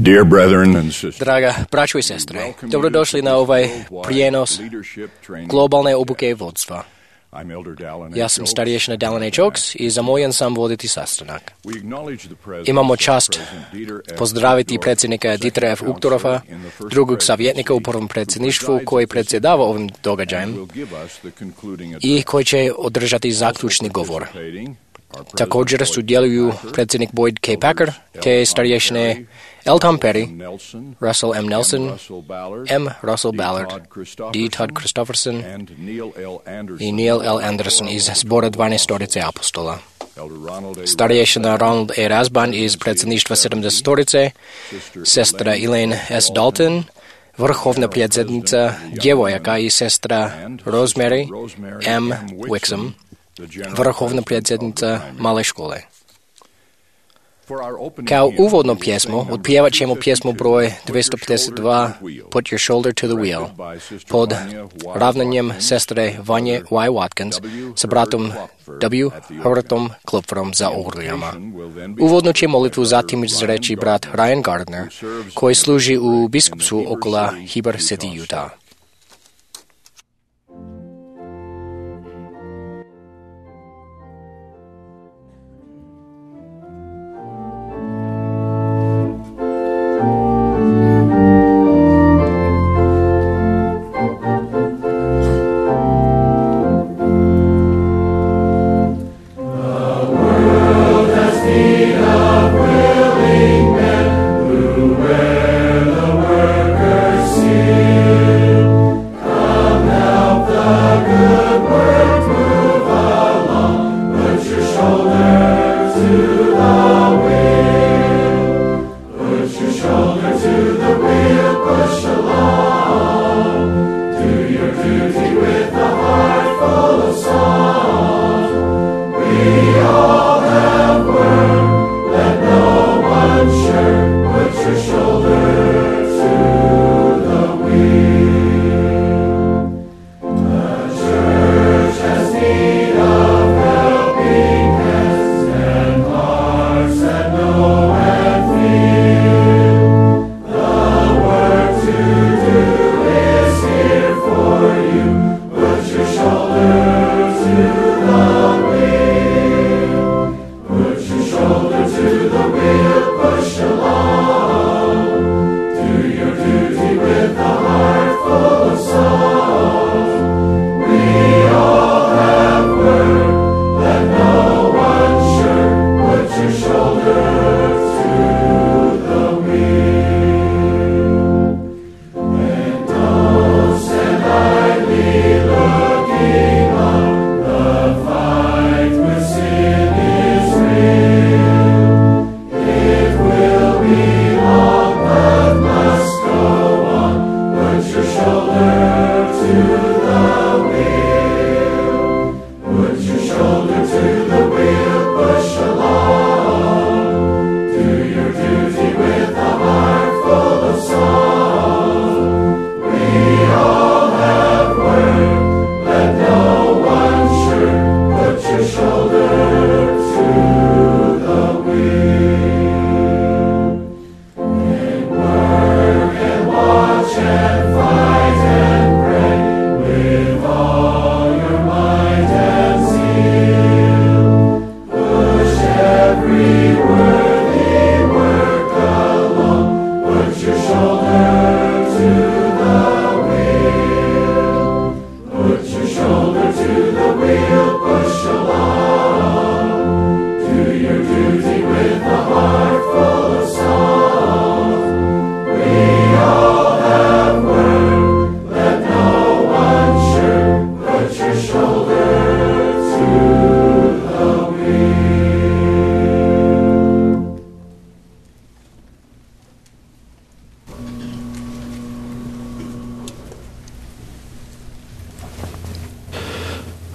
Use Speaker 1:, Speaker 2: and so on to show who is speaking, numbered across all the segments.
Speaker 1: Dear brethren and sisters,
Speaker 2: Draga braćo i sestre, dobrodošli na ovaj prijenos globalne obuke vodstva. Ja sam starješina Dallin H. Oaks i zamoljen sam voditi sastanak. Imamo čast pozdraviti predsjednika Dietera F. Uchtdorfa, drugog savjetnika u prvom predsjedništvu koji predsjedava ovim događajem i koji će održati zaključni govor. Također sudjeluju predsjednik Boyd K. Packer te starješine L. Tom Perry, Russell M. Nelson, M. Russell Ballard, D. Todd Christofferson i Neil L. Anderson iz zbora 12-torice apostola. Starješina Ronald E. Rasban iz predsjedništva 70-torice, sestra Elaine S. Dalton, vrhovna predsjednica djevojaka i sestra Rosemary M. Wixom, vrhovna predsjednica male škole. Kao uvodnu pjesmu otpjevat ćemo pjesmu broj 252 Put Your Shoulder to the Wheel pod ravnanjem sestre Vanje Y. Watkins sa bratom W. Hrtom Klupferom za orglijama. Uvodno će molitvu zatim izreći brat Ryan Gardner koji služi u biskupstvu okolo Heber City, Utah.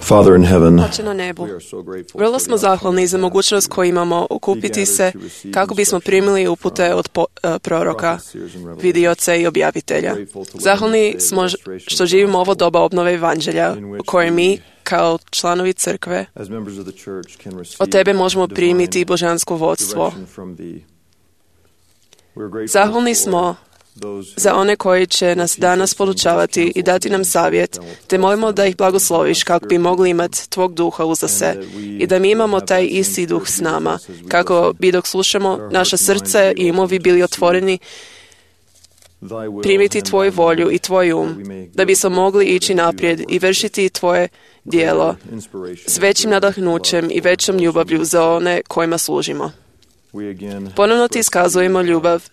Speaker 3: Father in heaven,
Speaker 4: Oče na nebu, vrlo smo zahvalni za mogućnost koju imamo okupiti se kako bismo primili upute od proroka, vidioca i objavitelja. Zahvalni smo što živimo ovo doba obnove evanđelja u kojoj mi, kao članovi crkve, od tebe možemo primiti božansko vodstvo Zahvalni smo za one koji će nas danas podučavati i dati nam savjet, te molimo da ih blagosloviš kako bi mogli imati tvog duha uza se i da mi imamo taj isti duh s nama, kako bi dok slušamo naša srce i umovi bili otvoreni primiti tvoju volju i tvoj da bismo mogli ići naprijed i vršiti tvoje djelo s većim nadahnućem i većom ljubavlju za one kojima služimo. Ponovno ti iskazujemo ljubav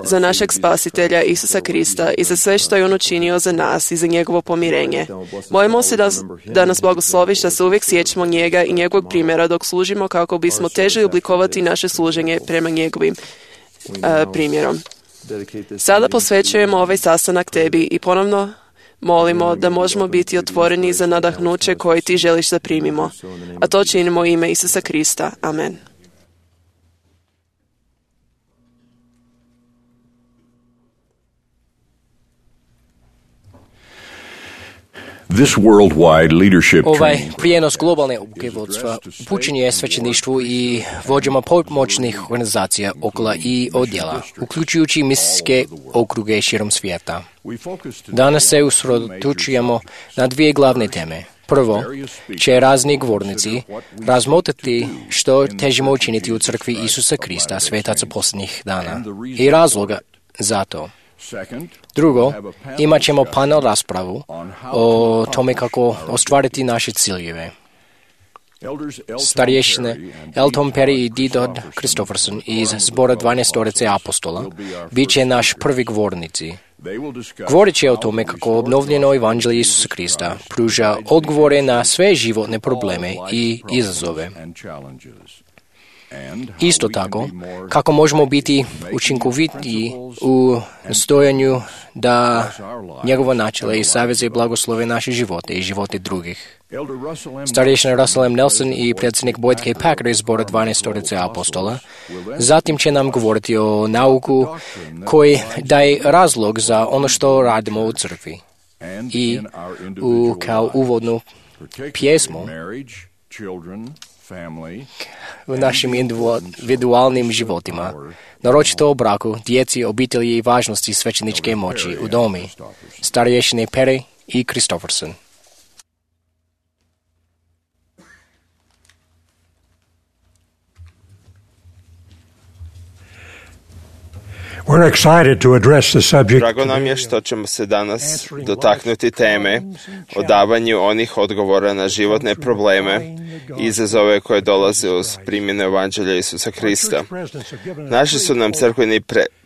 Speaker 4: za našeg spasitelja Isusa Krista i za sve što je on učinio za nas i za njegovo pomirenje. Molimo se da nas blagosloviš, da se uvijek sjećamo njega i njegovog primjera dok služimo kako bismo težili oblikovati naše služenje prema njegovim primjerom. Sada posvećujemo ovaj sastanak tebi i ponovno molimo da možemo biti otvoreni za nadahnuće koje ti želiš da primimo, a to činimo u ime Isusa Krista. Amen.
Speaker 2: Ovaj prijenos globalne obuke vodstva upućen je svećeništvu i vođama pomoćnih organizacija okolo i odjela, uključujući misijske okruge širom svijeta. Danas se usredotočujemo na dvije glavne teme. Prvo, će razni govornici razmotriti što težimo učiniti u crkvi Isusa Krista, svetaca posljednjih dana, i razloga za to. Drugo, imat ćemo panel raspravu o tome kako ostvariti naše ciljeve. Starješine Elton Perry i Didod Christopherson iz zbora 12 apostola bit će naš prvi govornici. Govorit će o tome kako obnovljeno evanđelje Isusa Krista pruža odgovore na sve životne probleme i izazove. Isto tako, kako možemo biti učinkoviti u nastojanju da njegova načela i saveze blagoslove naše živote i živote drugih. Starješina Russell M. Nelson i predsjednik Boyd K. Packer iz zbora 12 apostola zatim će nam govoriti o nauku koji daje razlog za ono što radimo u crkvi. I kao uvodnu pjesmu u našim individualnim životima, naročito o braku, djeci, obitelji i važnosti svećeničke moći u domi, starješine Perry i Christopherson.
Speaker 1: Drago nam je što ćemo se danas dotaknuti teme o davanju onih odgovora na životne probleme i izazove koje dolaze uz primjenu evanđelja Isusa Krista. Naši su nam crkveni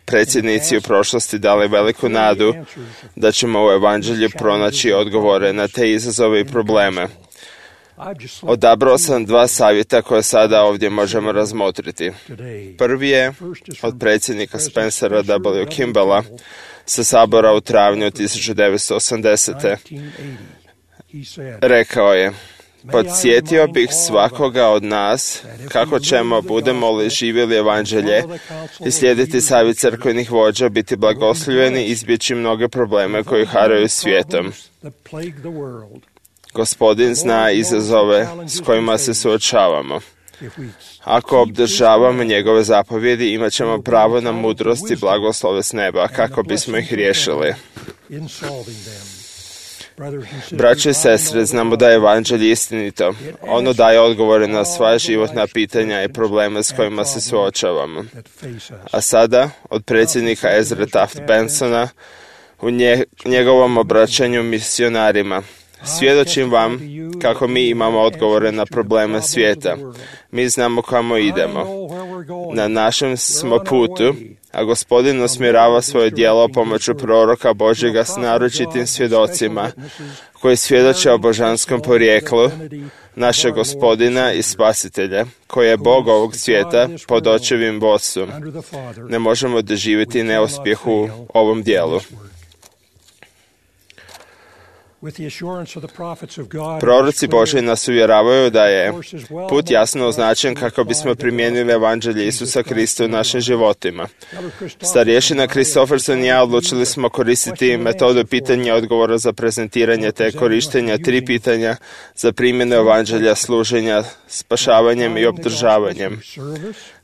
Speaker 1: predsjednici u prošlosti dali veliku nadu da ćemo u evanđelju pronaći odgovore na te izazove i probleme. Odabrao sam dva savjeta koje sada ovdje možemo razmotriti. Prvi je od predsjednika Spencera W. Kimballa sa sabora u travnju 1980. Rekao je: podsjetio bih svakoga od nas kako ćemo, budemo li živjeli evanđelje i slijediti savjet crkvenih vođa, biti blagoslovljeni, izbjeći mnoge probleme koji haraju svijetom. Gospodin zna izazove s kojima se suočavamo. Ako obdržavamo njegove zapovjedi, imat ćemo pravo na mudrost i blagoslove s neba kako bismo ih riješili. Braće i sestre, znamo da je evanđelje istinito. Ono daje odgovore na sva životna pitanja i probleme s kojima se suočavamo. A sada, od predsjednika Ezra Taft Bensona, u njegovom obraćanju misionarima: svjedočim vam kako mi imamo odgovore na probleme svijeta. Mi znamo kamo idemo. Na našem smo putu, a Gospodin usmjerava svoje djelo pomoću proroka Božjega s naročitim svjedocima koji svjedoče o božanskom porijeklu našeg Gospodina i Spasitelja, koji je Bog ovog svijeta pod očevim vodstvom. Ne možemo doživjeti neuspjeh u ovom djelu. Proroci Božji nas uvjeravaju da je put jasno označen kako bismo primijenili evanđelje Isusa Krista u našim životima. Starješina Kristoferson i ja odlučili smo koristiti metodu pitanja i odgovora za prezentiranje te korištenja 3 pitanja za primjenu evanđelja, služenja, spašavanjem i obdržavanjem.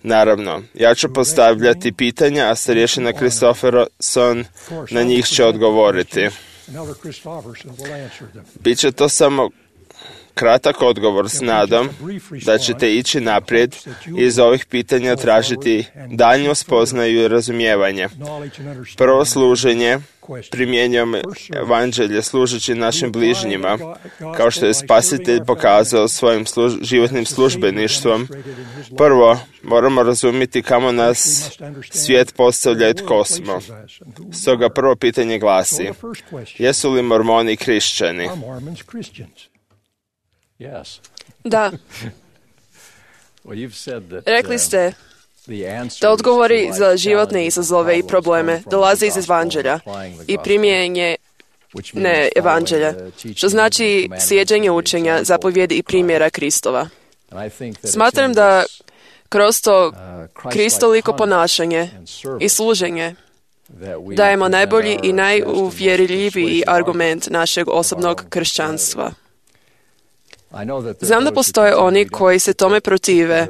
Speaker 1: Naravno, ja ću postavljati pitanja, a starješina Kristoferson na njih će odgovoriti. Biće to samo kratak odgovor s nadom da ćete ići naprijed i iz ovih pitanja tražiti daljnju spoznaju i razumijevanje. Prvo služenje, primjenjujemo evanđelje služeći našim bližnjima, kao što je Spasitelj pokazao svojim životnim službeništvom. Prvo, moramo razumjeti kamo nas svijet postavlja i tko smo. Stoga prvo pitanje glasi, jesu li Mormoni kršćani?
Speaker 4: Da. Rekli ste da odgovori za životne izazove i probleme dolaze iz evanđelja i primjenje ne evanđelja, što znači slijeđenje učenja, zapovjedi i primjera Kristova. Smatram da kroz to kristoliko ponašanje i služenje dajemo najbolji i najuvjerljiviji argument našeg osobnog kršćanstva. Znam da postoje oni koji se tome protive,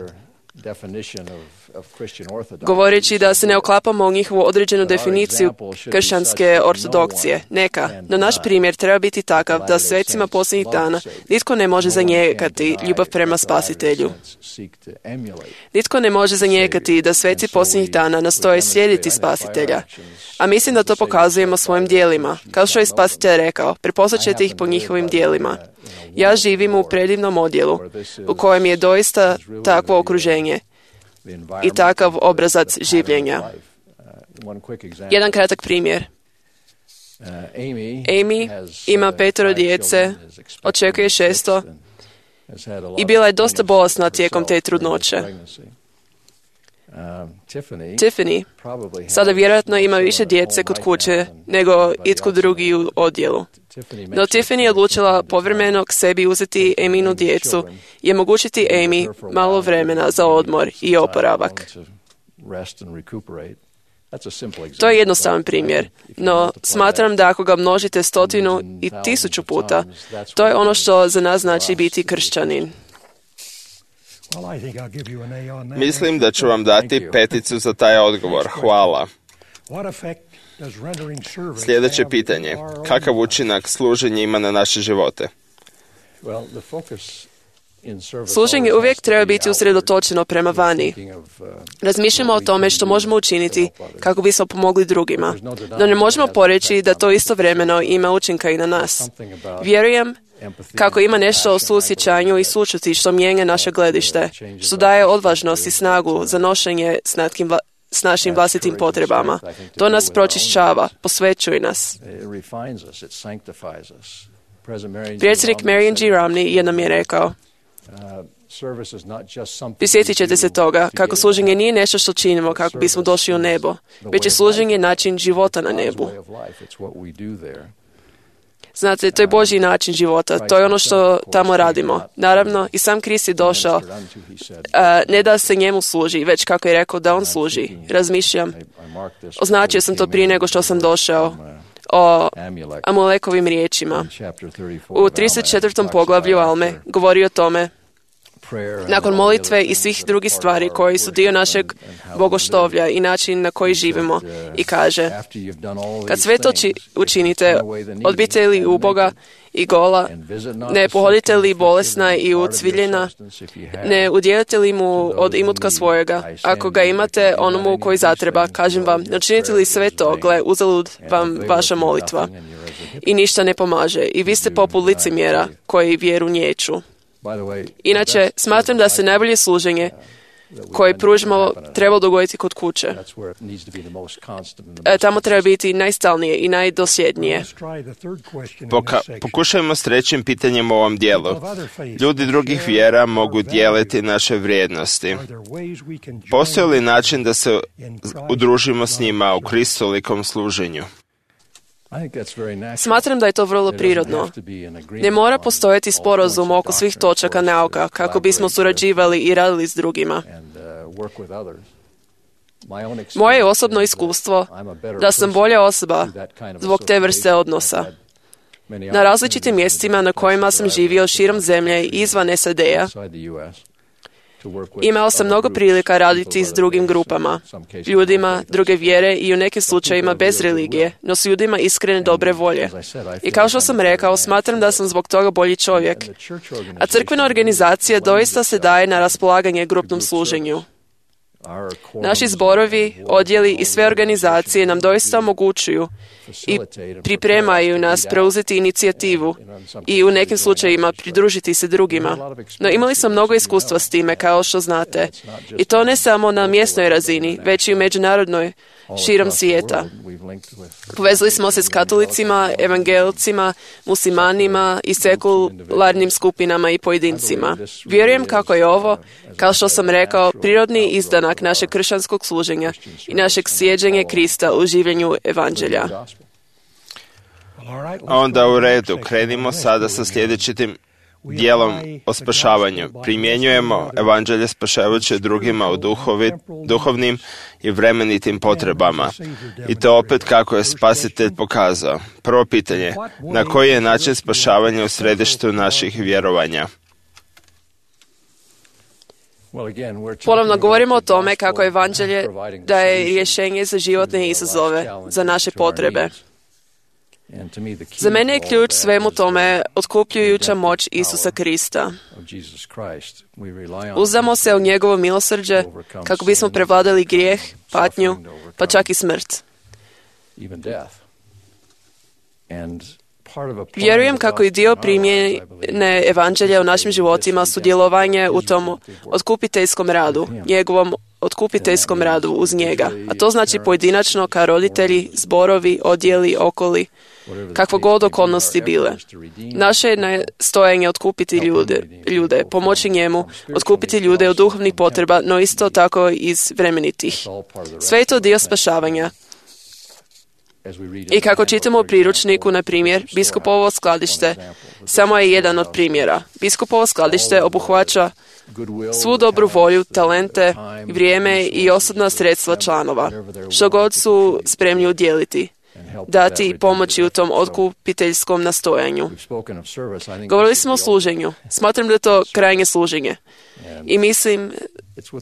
Speaker 4: govoreći da se ne uklapamo u njihovu određenu definiciju kršćanske ortodokcije. Neka, no naš primjer treba biti takav da svecima posljednjih dana nitko ne može zanijekati ljubav prema Spasitelju. Nitko ne može zanijekati da sveci posljednjih dana nastoje slijediti Spasitelja. A mislim da to pokazujemo svojim dijelima. Kao što je Spasitelj rekao, prepoznat ćete ih po njihovim dijelima. Ja živim u predivnom odjelu, u kojem je doista takvo okruženje i takav obrazac življenja. Jedan kratak primjer. Amy ima 5 djece, očekuje 6 i bila je dosta bolesna tijekom te trudnoće. Tiffany sada vjerojatno ima više djece kod kuće nego itko drugi u odjelu. No Tiffany je odlučila povremeno k sebi uzeti Amynu djecu i omogućiti Amy malo vremena za odmor i oporavak. To je jednostavan primjer, no smatram da ako ga množite 100 i 1000 puta, to je ono što za nas znači biti kršćanin.
Speaker 1: Mislim da ću vam dati 5 za taj odgovor. Hvala. Sljedeće pitanje. Kakav učinak služenje ima na naše živote?
Speaker 4: Služenje uvijek treba biti usredotočeno prema vani. Razmišljamo o tome što možemo učiniti kako bismo pomogli drugima, no ne možemo poreći da to istovremeno ima učinka i na nas. Vjerujem kako ima nešto o suosjećanju i sućuti što mijenja naše gledište, što daje odvažnost i snagu za nošenje s našim vlastitim potrebama. To nas pročišćava, posvećuje nas. Predsjednik Marion G. Romney jednom je rekao, prisjetit ćete se toga kako služenje nije nešto što činimo kako bismo došli u nebo, već je služenje način života na nebu. Znate, to je Božji način života, to je ono što tamo radimo. Naravno, i sam Krist je došao, ne da se njemu služi, već kako je rekao da on služi. Razmišljam, označio sam to prije nego što sam došao, o Amolekovim riječima. U 34. poglavlju Alme govori o tome, nakon molitve i svih drugih stvari koji su dio našeg bogoštovlja i način na koji živimo, i kaže, kad sve to učinite, odbijete li uboga i gola, ne pohodite li bolesna i ucviljena, ne udjelite li mu od imutka svojega, ako ga imate onomu koji zatreba, kažem vam, ne učinite li sve to, gle, uzalud vam vaša molitva i ništa ne pomaže i vi ste poput licemjera koji vjeru niječu. Inače, smatram da se najbolje služenje koje pružimo treba dogoditi kod kuće. Tamo treba biti najstalnije i najdosljednije.
Speaker 1: Pokušajmo s 3. pitanjem u ovom dijelu. Ljudi drugih vjera mogu dijeliti naše vrijednosti. Postoji li način da se udružimo s njima u kristolikom služenju?
Speaker 4: Smatram da je to vrlo prirodno. Ne mora postojati sporazum oko svih točaka nauka kako bismo surađivali i radili s drugima. Moje osobno iskustvo da sam bolja osoba zbog te vrste odnosa. Na različitim mjestima na kojima sam živio širom zemlje i izvan SAD-a, imao sam mnogo prilika raditi s drugim grupama, ljudima druge vjere i u nekim slučajevima bez religije, no s ljudima iskrene dobre volje. I kao što sam rekao, smatram da sam zbog toga bolji čovjek. A crkvena organizacija doista se daje na raspolaganje grupnom služenju. Naši zborovi, odjeli i sve organizacije nam doista omogućuju i pripremaju nas preuzeti inicijativu i u nekim slučajevima pridružiti se drugima. No imali smo mnogo iskustva s time, kao što znate. I to ne samo na mjesnoj razini, već i u međunarodnoj, širom svijeta. Povezali smo se s katolicima, evangelicima, muslimanima i sekularnim skupinama i pojedincima. Vjerujem kako je ovo, kao što sam rekao, prirodni izdanak našeg kršćanskog služenja i našeg slijeđenja Krista u življenju evanđelja.
Speaker 1: Onda u redu, krenimo sada sa sljedećim dijelom o spašavanju. Primjenjujemo evanđelje spašavajuće drugima u duhovnim i vremenitim potrebama. I to opet kako je Spasitelj pokazao. Prvo pitanje, na koji je način spašavanja u središtu naših vjerovanja?
Speaker 4: Ponovno govorimo o tome kako evanđelje daje rješenje za životne izazove, za naše potrebe. Za mene je ključ svemu tome otkupljujuća moć Isusa Krista. Uzdamo se u njegovo milosrđe kako bismo prevladali grijeh, patnju, pa čak i smrt. Vjerujem kako i dio primjene evanđelja u našim životima sudjelovanje u tom otkupiteljskom radu, njegovom otkupiteljskom radu uz njega. A to znači pojedinačno kao roditelji, zborovi, odjeli, okoli, kakvo god okolnosti bile. Naše je nastojanje otkupiti ljude, pomoći njemu, otkupiti ljude od duhovnih potreba, no isto tako iz vremenitih. Sve je to dio spašavanja. I kako čitamo u priručniku, na primjer, biskupovo skladište samo je jedan od primjera. Biskupovo skladište obuhvaća svu dobru volju, talente, vrijeme i osobna sredstva članova, što god su spremni udjeliti, dati i pomoći u tom otkupiteljskom nastojanju. Govorili smo o služenju. Smatram da je to krajnje služenje. I mislim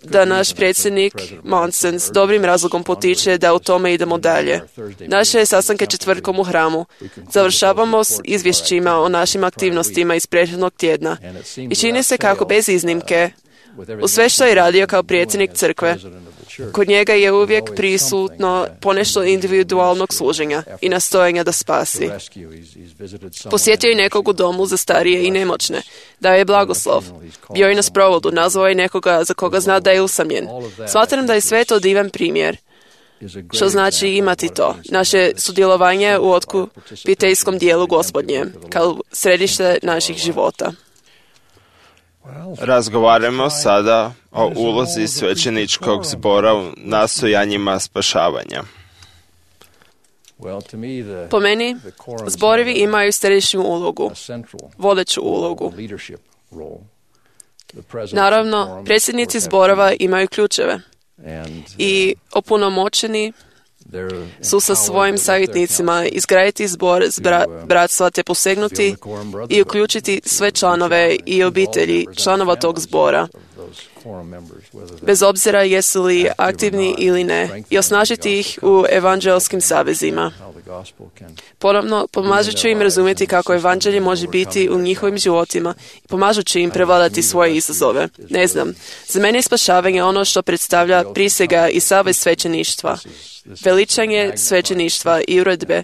Speaker 4: da naš predsjednik Monson s dobrim razlogom potiče da u tome idemo dalje. Naše sastanke četvrtkom u hramu završavamo s izvješćima o našim aktivnostima iz prethodnog tjedna i čini se kako bez iznimke u sve što je radio kao predsjednik crkve, kod njega je uvijek prisutno ponešto individualnog služenja i nastojanja da spasi. Posjetio je nekog u domu za starije i nemoćne, dao je blagoslov, bio je na sprovodu, nazvao je nekoga za koga zna da je usamljen. Smatram da je sve to divan primjer, što znači imati to, naše sudjelovanje u otkupiteljskom dijelu Gospodnje, kao središte naših života.
Speaker 1: Razgovaramo sada o ulozi svećeničkog zbora u nastojanjima spašavanja.
Speaker 4: Po meni, zborovi imaju središnju ulogu, vodeću ulogu. Naravno, predsjednici zborova imaju ključeve i opunomoćeni su sa svojim savjetnicima izgraditi zbor bratstva te posegnuti i uključiti sve članove i obitelji članova tog zbora, bez obzira jesu li aktivni ili ne, i osnažiti ih u evanđelskim savezima. Ponovno, pomažući im razumjeti kako evanđelje može biti u njihovim životima i pomažući im prevladati svoje izazove. Ne znam, za mene je spašavanje ono što predstavlja prisega i savez svećeništva, veličanje svećeništva i uredbe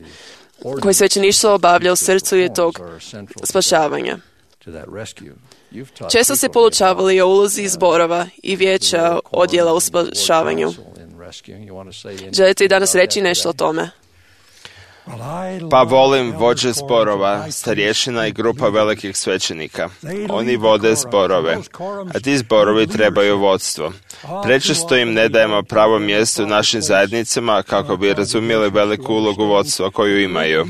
Speaker 4: koje svećeništvo obavlja u srcu je tog spašavanja. Često se poučavali o ulozi zborova i vijeća odjela u spašavanju. Želite i danas reći nešto o tome?
Speaker 1: Pa volim vođe zborova, starješina i grupa velikih svećenika. Oni vode zborove, a ti zborovi trebaju vodstvo. Prečesto im ne dajemo pravo mjesto u našim zajednicama kako bi razumjeli veliku ulogu vodstva koju imaju.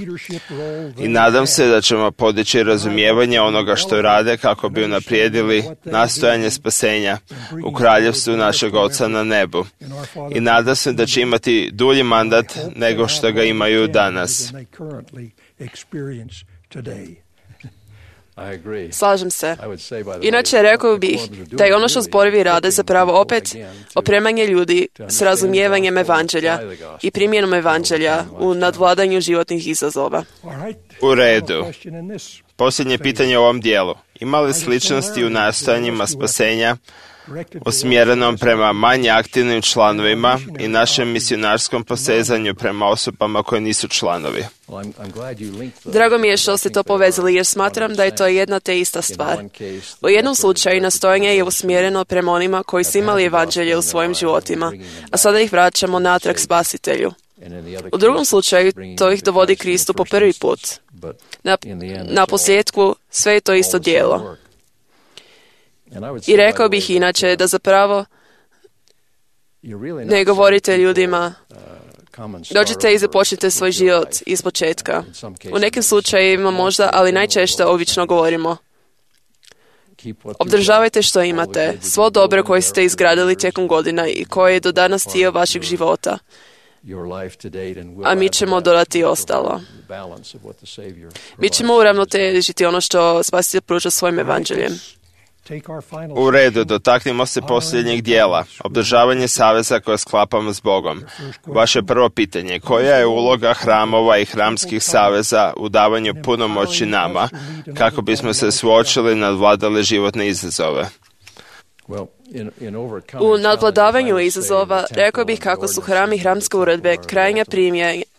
Speaker 1: I nadam se da ćemo podići razumijevanje onoga što rade kako bi unaprijedili nastojanje spasenja u kraljevstvu našeg Oca na nebu. I nadam se da će imati dulji mandat nego što ga imaju danas.
Speaker 4: Slažem se. Inače, rekao bih da je ono što zborovi rade zapravo opet opremanje ljudi s razumijevanjem evanđelja i primjenom evanđelja u nadvladanju životnih izazova.
Speaker 1: U redu. Posljednje pitanje u ovom dijelu. Ima li sličnosti u nastojanjima spasenja usmjerenom prema manje aktivnim članovima i našem misionarskom posezanju prema osobama koje nisu članovi?
Speaker 4: Drago mi je što ste to povezali jer smatram da je to jedna te ista stvar. U jednom slučaju nastojanje je usmjereno prema onima koji su imali evanđelje u svojim životima, a sada ih vraćamo natrag spasitelju. U drugom slučaju to ih dovodi Kristu po prvi put. Na posljedku sve je to isto djelo. I rekao bih inače da zapravo ne govorite ljudima dođite i započnite svoj život iz početka. U nekim slučajevima možda, ali najčešće obično govorimo obdržavajte što imate, svo dobro koje ste izgradili tijekom godina i koje je do danas dio vašeg života. A mi ćemo dodati ostalo. Mi ćemo uravnotežiti ono što Spasitelj pruža svojim evanđeljem.
Speaker 1: U redu, dotaknimo se posljednjeg dijela, obdržavanje saveza koje sklapamo s Bogom. Vaše prvo pitanje, koja je uloga hramova i hramskih saveza u davanju punomoći nama, kako bismo se suočili i nadvladali životne izazove?
Speaker 4: U nadvladavanju izazova rekao bih kako su hram i hramske uredbe krajnja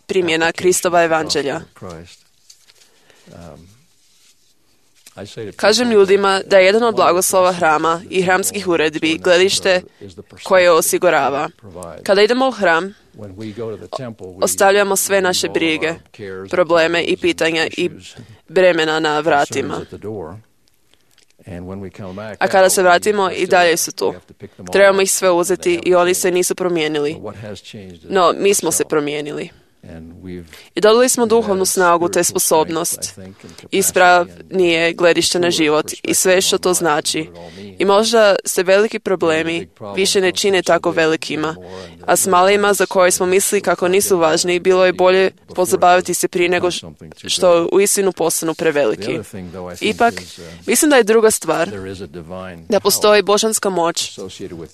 Speaker 4: primjena Kristova evanđelja. Kažem ljudima da je jedan od blagoslova hrama i hramskih uredbi gledište koje osigurava. Kada idemo u hram, ostavljamo sve naše brige, probleme i pitanja i bremena na vratima. A kada se vratimo, i dalje su tu. Trebamo ih sve uzeti i oni se nisu promijenili. No, mi smo se promijenili. I dobili smo duhovnu snagu te sposobnost, ispravnije gledište na život i sve što to znači. I možda se veliki problemi više ne čine tako velikima, a s malima za koje smo mislili kako nisu važni, bilo je bolje pozabaviti se prije nego što uistinu postanu preveliki. Ipak, mislim da je druga stvar da postoji božanska moć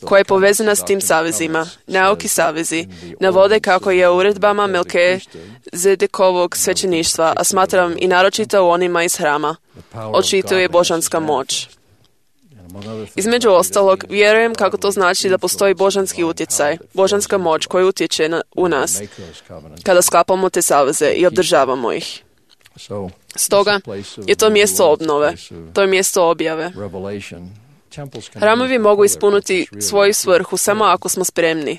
Speaker 4: koja je povezana s tim savezima. Nauki savezi navode kako je u uredbama Melkizedekovog svećeništva, a smatram i naročito u onima iz hrama, očituje božanska moć. Između ostalog, vjerujem kako to znači da postoji božanski utjecaj, božanska moć koja utječe u nas kada sklapamo te saveze i obdržavamo ih. Stoga je to mjesto obnove, to je mjesto objave. Hramovi mogu ispuniti svoju svrhu samo ako smo spremni.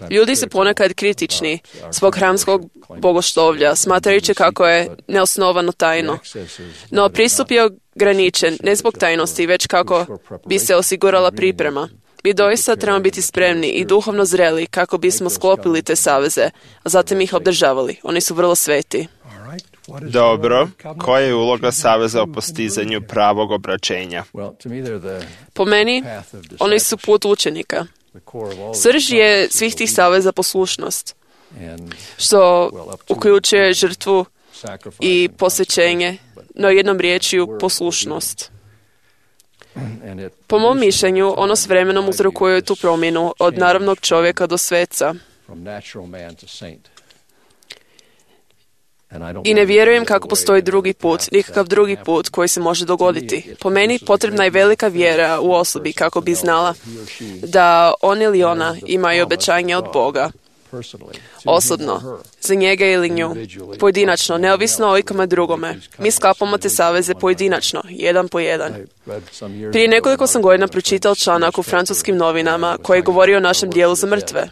Speaker 4: Ljudi su ponekad kritični zbog hramskog bogoštovlja, smatrajući kako je neosnovano tajno. No pristup je ograničen ne zbog tajnosti, već kako bi se osigurala priprema. Mi doista trebamo biti spremni i duhovno zreli kako bismo sklopili te saveze, a zatim ih obdržavali. Oni su vrlo sveti.
Speaker 1: Dobro, koja je uloga saveza u postizanju pravog obraćenja?
Speaker 4: Po meni, oni su put učenika. Srž je svih tih saveza poslušnost, što uključuje žrtvu i posvećenje, no jednom riječju poslušnost. Po mom mišljenju, ono s vremenom uzrokuje tu promjenu od naravnog čovjeka do sveca. I ne vjerujem kako postoji drugi put, nikakav drugi put koji se može dogoditi. Po meni potrebna je velika vjera u osobi kako bi znala da on ili ona imaju obećanje od Boga. Osobno, za njega ili nju, pojedinačno, neovisno o ikome drugome. Mi sklapamo te saveze pojedinačno, jedan po jedan. Prije nekoliko sam godina pročitao članak u francuskim novinama koji govori o našem dijelu za mrtve.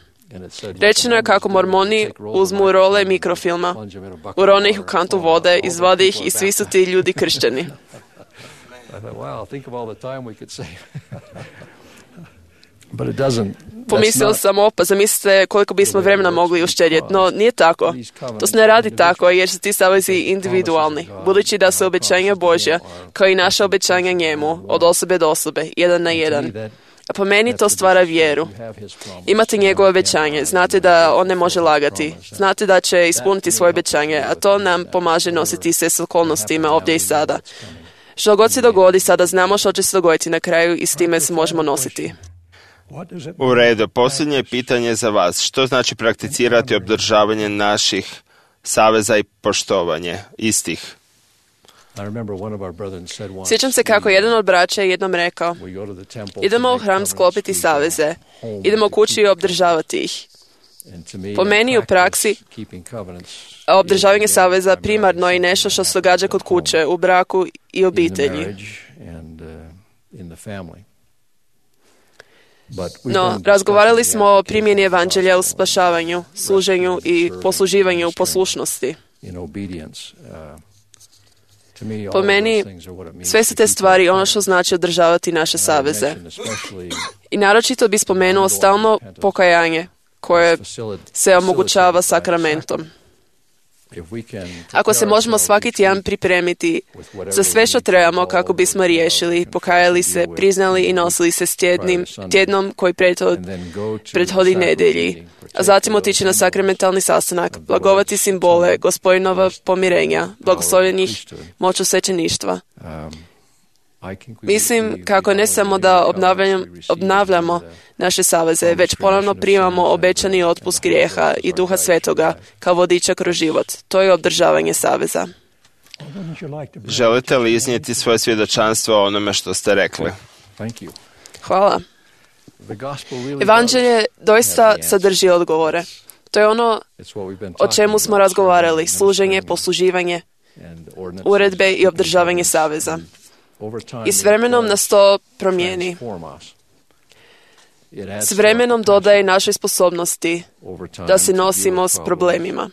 Speaker 4: Rečeno je kako mormoni uzmu role mikrofilma, urone ih u kantu vode, izvade ih i svi su ti ljudi kršćani. Pomislio sam, pa zamislite koliko bismo vremena mogli uštedjeti, no nije tako. To se ne radi tako jer su ti savezi individualni, budući da su obećanja Božja, kao i naša obećanja njemu, od osobe do osobe, jedan na jedan. A po meni to stvara vjeru. Imate njegovo obećanje, znate da on ne može lagati, znate da će ispuniti svoje obećanje, a to nam pomaže nositi se s okolnostima ovdje i sada. Što god se dogodi, sada znamo što će se dogoditi na kraju i s time se možemo nositi.
Speaker 1: U redu, posljednje pitanje za vas. Što znači prakticirati održavanje naših saveza i poštovanje istih?
Speaker 4: Sjećam se kako jedan od braća jednom rekao, idemo u hram sklopiti saveze, idemo kući i obdržavati ih. Po meni u praksi, obdržavanje saveza primarno je nešto što se događa kod kuće, u braku i obitelji. No, razgovarali smo o primjeni evanđelja u spašavanju, služenju i posluživanju u poslušnosti. Po meni, sve su te stvari ono što znači održavati naše saveze. I naročito bi spomenuo stalno pokajanje koje se omogućava sakramentom. Ako se možemo svaki tjedan pripremiti za sve što trebamo kako bismo riješili, pokajali se, priznali i nosili se s tjednom koji prethodi nedjelji, a zatim otići na sakramentalni sastanak, blagovati simbole Gospodinova pomirenja, blagoslovljenih moću svećeništva. Mislim kako ne samo da obnavljamo naše saveze, već ponovno primamo obećani otpust grijeha i Duha Svetoga kao vodiča kroz život. To je održavanje saveza.
Speaker 1: Želite li iznijeti svoje svjedočanstvo o onome što ste rekli?
Speaker 4: Hvala. Evanđelje doista sadrži odgovore. To je ono o čemu smo razgovarali, služenje, posluživanje, uredbe i održavanje saveza. I s vremenom nas to promijeni. S vremenom dodaje našoj sposobnosti da se nosimo s problemima.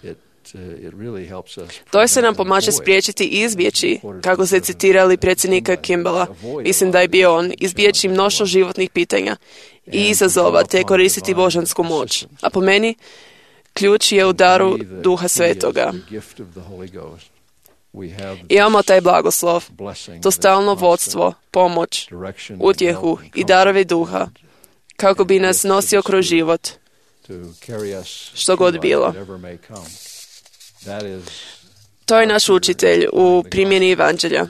Speaker 4: To se nam pomaže spriječiti i izbjeći, kako se citirali predsjednika Kimballa, mislim da je bio on, izbjeći mnoštvo životnih pitanja i izazova te koristiti božansku moć. A po meni, ključ je u daru Duha Svetoga. Imamo taj blagoslov, to stalno vodstvo, pomoć, utjehu i darove duha, kako bi nas nosio kroz život, što god bilo. To je naš učitelj u primjeni evanđelja,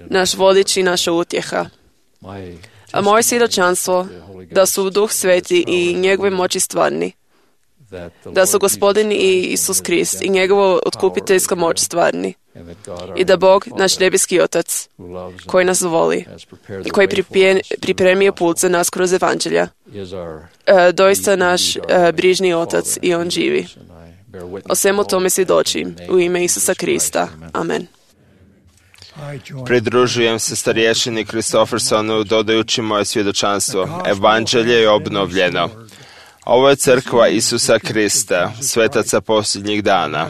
Speaker 4: naš vodič i naša utjeha. A moje svjedočanstvo da su Duh Sveti i njegove moći stvarni, da su Gospodin i Isus Krist i njegova otkupiteljska moć stvarni i da Bog, naš nebeski Otac, koji nas voli i koji pripremio put za nas kroz evanđelja, doista naš brižni Otac i On živi. O svemu tome svjedočim u ime Isusa Krista. Amen.
Speaker 1: Pridružujem se starješini Kristoffersonu dodajući moje svjedočanstvo. Evanđelje je obnovljeno. Ovo je crkva Isusa Krista, svetaca posljednjih dana.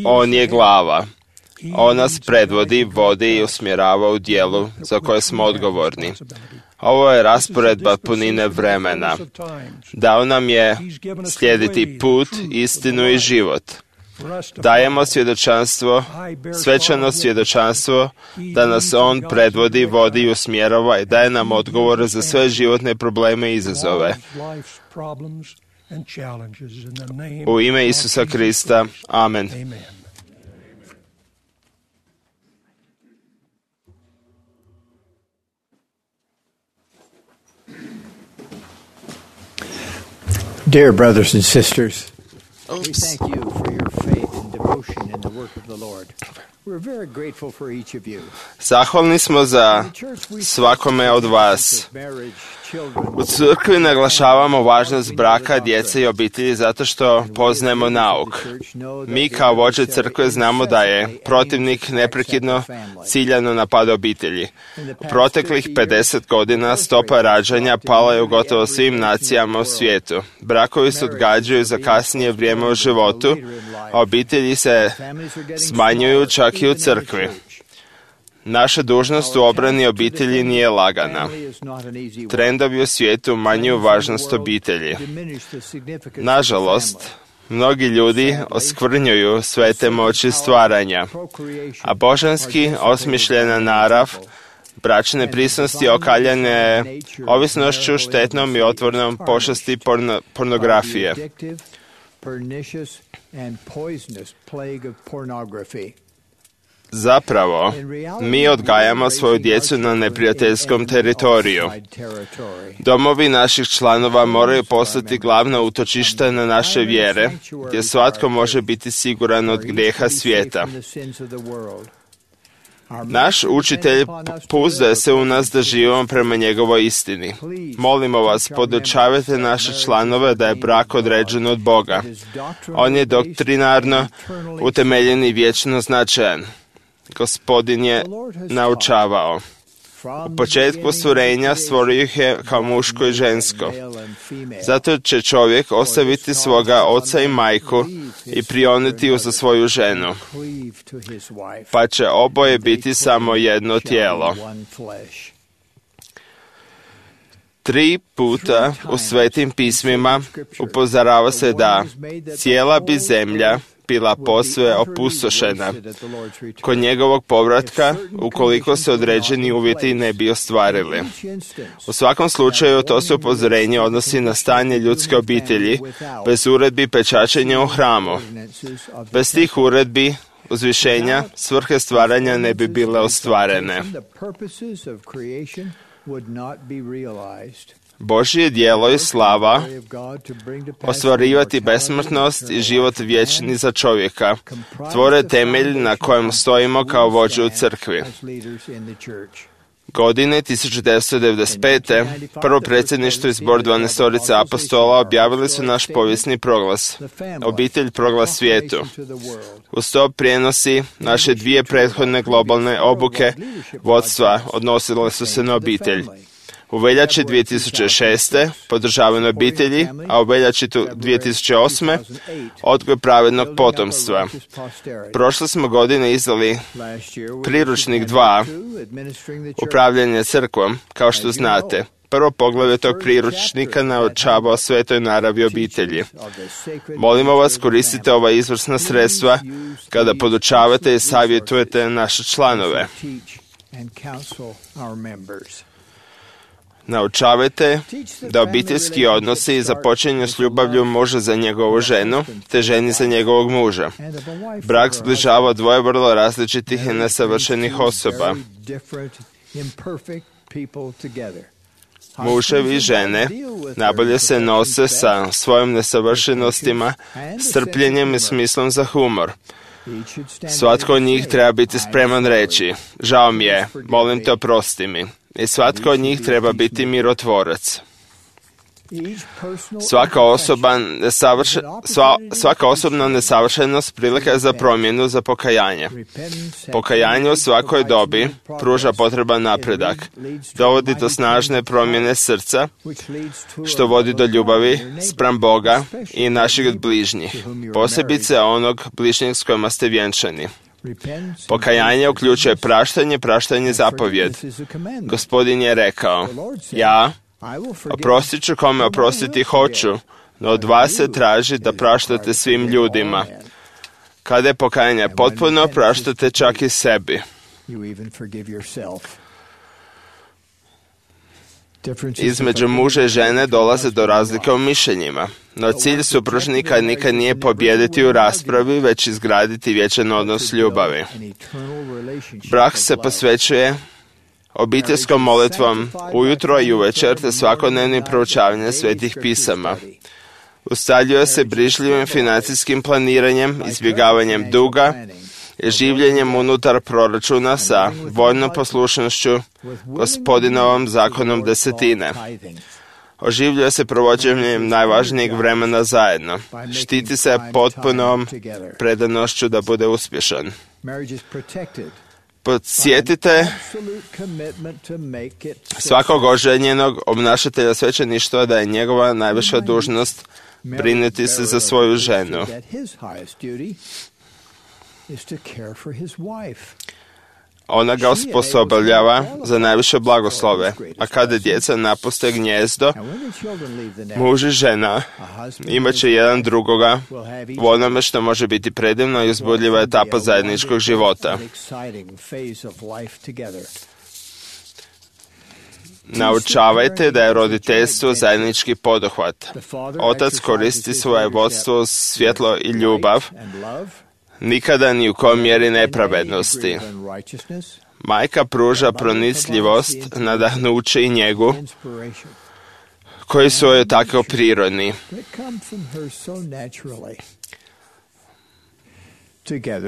Speaker 1: On je glava. On nas predvodi, vodi i usmjerava u dijelu za koje smo odgovorni. Ovo je rasporedba punine vremena. Dao nam je slijediti put, istinu i život. Dajemo svjedočanstvo, svečano svjedočanstvo, da nas On predvodi, vodi i usmjerava i daje nam odgovore za sve životne probleme i izazove. U ime Isusa Krista. Amen.
Speaker 3: Dear brothers and sisters, we thank you for your faith and devotion in the work of the Lord. We're very grateful for each of you.
Speaker 1: Zahvalni smo za svakome od vas. U crkvi naglašavamo važnost braka, djece i obitelji zato što poznajemo nauk. Mi kao vođe crkve znamo da je protivnik neprekidno ciljano napada obitelji. U proteklih 50 godina stopa rađanja pala je u gotovo svim nacijama u svijetu. Brakovi se odgađaju za kasnije vrijeme u životu, a obitelji se smanjuju čak i u crkvi. Naša dužnost u obrani obitelji nije lagana. Trendovi u svijetu umanjuju važnost obitelji. Nažalost, mnogi ljudi oskvrnjuju svete moći stvaranja, a božanski osmišljena narav bračne prisnosti okaljane ovisnošću, štetnom i otvornom pošasti pornografije. Zapravo, mi odgajamo svoju djecu na neprijateljskom teritoriju. Domovi naših članova moraju postati glavna utočišta na naše vjere, gdje svatko može biti siguran od grijeha svijeta. Naš učitelj pouzdaje se u nas da živimo prema njegovoj istini. Molimo vas, podučavajte naše članove da je brak određen od Boga. On je doktrinarno utemeljen i vječno značajan. Gospodin je naučavao. U početku stvorenja stvorio ih je kao muško i žensko. Zato će čovjek ostaviti svoga oca i majku i prionuti uza svoju ženu, pa će oboje biti samo jedno tijelo. 3 puta u svetim pismima upozorava se da cijela bi zemlja bila posve opustošena kod njegovog povratka ukoliko se određeni uvjeti ne bi ostvarili. U svakom slučaju to se upozorenje odnosi na stanje ljudske obitelji bez uredbi pečačenja u hramu. Bez tih uredbi uzvišenja svrhe stvaranja ne bi bile ostvarene. Božje djelo i slava ostvarivati besmrtnost i život vječni za čovjeka tvore temelj na kojem stojimo kao vođe u crkvi. Godine 1995. prvo predsjedništvo i zbor 12 apostola objavili su naš povijesni proglas. Obitelj proglas svijetu. Uz to prijenosi naše 2 prethodne globalne obuke vodstva odnosile su se na obitelj. U veljači 2006. podržavanje obitelji, a u veljači 2008. odgoj pravednog potomstva. Prošle smo godine izdali priručnik 2, upravljanje crkvom, kao što znate. Prvo poglavlje tog priručnika naučava o svetoj naravi obitelji. Molimo vas, koristite ova izvrsna sredstva kada podučavate i savjetujete naše članove. Naučavajte da obiteljski odnosi započinju s ljubavlju muža za njegovu ženu, te ženi za njegovog muža. Brak zbližava 2 vrlo različitih i nesavršenih osoba. Muževi i žene najbolje se nose sa svojim nesavršenostima, strpljenjem i smislom za humor. Svatko od njih treba biti spreman reći: žao mi je, molim te, oprosti mi. I svatko od njih treba biti mirotvorac. Svaka osobna nesavršenost prilika je za promjenu, za pokajanje. Pokajanje u svakoj dobi pruža potreban napredak, dovodi do snažne promjene srca, što vodi do ljubavi spram Boga i naših bližnjih, posebice onog bližnjeg s kojima ste vjenčani. Pokajanje uključuje praštanje zapovjed. Gospodin je rekao: ja oprostit ću kome oprostiti hoću, no od vas se traži da praštate svim ljudima. Kada je pokajanje potpuno, praštate čak i sebi. Između muža i žene dolaze do razlike u mišljenjima, no cilj supružnika nikad nije pobijediti u raspravi, već izgraditi vječan odnos ljubavi. Brak se posvećuje obiteljskom molitvom ujutro i uvečer te svakodnevnim proučavanjem svetih pisama. Ustaljuje se brižljivim financijskim planiranjem, izbjegavanjem duga i življenjem unutar proračuna sa voljnom poslušnošću Gospodinovom zakonom desetine. Oživljuje se provođenjem najvažnijeg vremena zajedno. Štiti se potpunom predanošću da bude uspješan. Podsjetite svakog oženjenog obnašatelja svećeništva da je njegova najviša dužnost brinuti se za svoju ženu. Ona ga osposobljava za najviše blagoslove, a kada djeca napuste gnijezdo, muž i žena imat će jedan drugoga u onome što može biti predivna i uzbudljiva etapa zajedničkog života. Naučavajte da je roditeljstvo zajednički poduhvat. Otac koristi svoje vodstvo, svjetlo i ljubav, nikada ni u kojoj mjeri nepravednosti. Majka pruža pronicljivost, nadahnuće i njegu, koji su joj tako prirodni.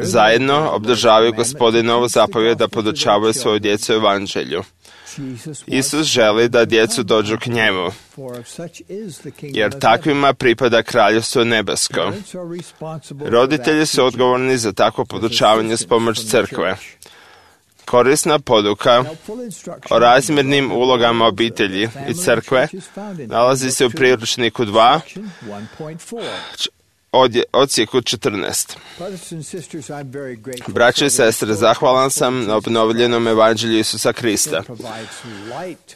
Speaker 1: Zajedno obdržavaju Gospodinovu zapovjed da podučavaju svoju djecu evanđelju. Isus želi da djecu dođu k njemu, jer takvima pripada kraljevstvo nebesko. Roditelji su odgovorni za takvo podučavanje s pomoć crkve. Korisna poduka o razmjernim ulogama obitelji i crkve nalazi se u priručniku 2, odsjeku 14. Braće i sestre, zahvalan sam na obnovljenom evanđelju Isusa Krista.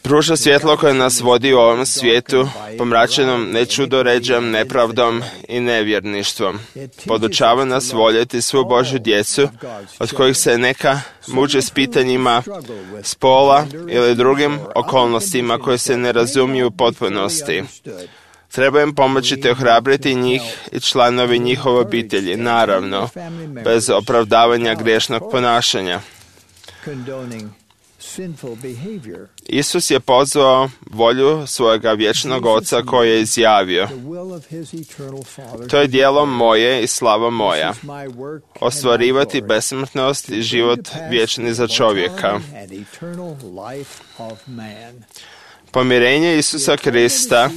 Speaker 1: Pruža svjetlo koje nas vodi u ovom svijetu, pomračenom nečudoređom, nepravdom i nevjerništvom. Podučava nas voljeti svu Božju djecu, od kojih se neka muče s pitanjima spola ili drugim okolnostima koje se ne razumiju u potpunosti. Treba im pomoći te ohrabriti njih i članovi njihove obitelji, naravno, bez opravdavanja grešnog ponašanja. Isus je pozvao volju svojega vječnog Oca koji je izjavio: to je djelo moje i slava moja, ostvarivati besmrtnost i život vječni za čovjeka. Pomirenje Isusa Krista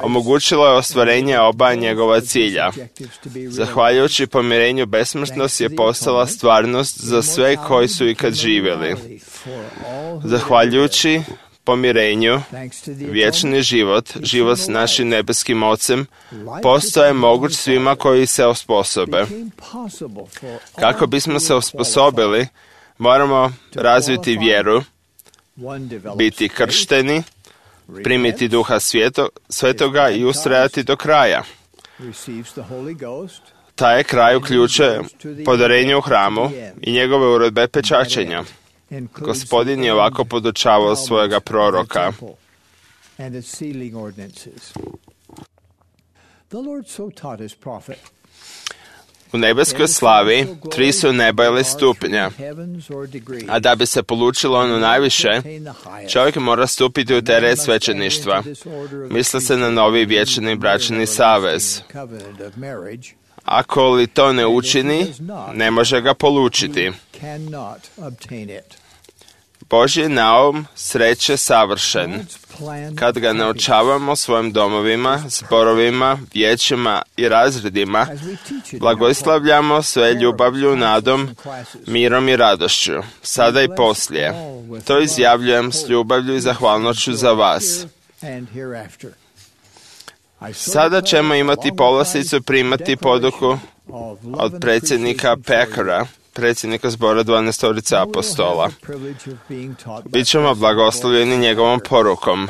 Speaker 1: omogućilo je ostvarenje oba njegova cilja. Zahvaljujući pomirenju, besmrtnost je postala stvarnost za sve koji su ikad živjeli. Zahvaljujući pomirenju, vječni život, život s našim nebeskim Ocem, postaje moguć svima koji se osposobe. Kako bismo se osposobili, moramo razviti vjeru, biti kršteni, primiti Duha Svetoga i ustrajati do kraja. Taj kraj uključuje podarenje u hramu i njegove uredbe pečačenja. Gospodin je ovako podučavao svojega proroka. U nebeskoj slavi 3 su neba ili stupnja, a da bi se polučilo ono najviše, čovjek mora stupiti u teret svećeništva. Misli se na novi vječni bračni savez. Ako li to ne učini, ne može ga polučiti. Božji naum sreće savršen. Kad ga naučavamo svojim domovima, zborovima, vijećima i razredima, blagoslavljamo sve ljubavlju, nadom, mirom i radošću, sada i poslije. To izjavljujem s ljubavlju i zahvalnošću za vas. Sada ćemo imati povlasticu primati poduku od predsjednika Packera, predsjednika zbora 12 apostola. Bićemo blagoslovljeni njegovom porukom.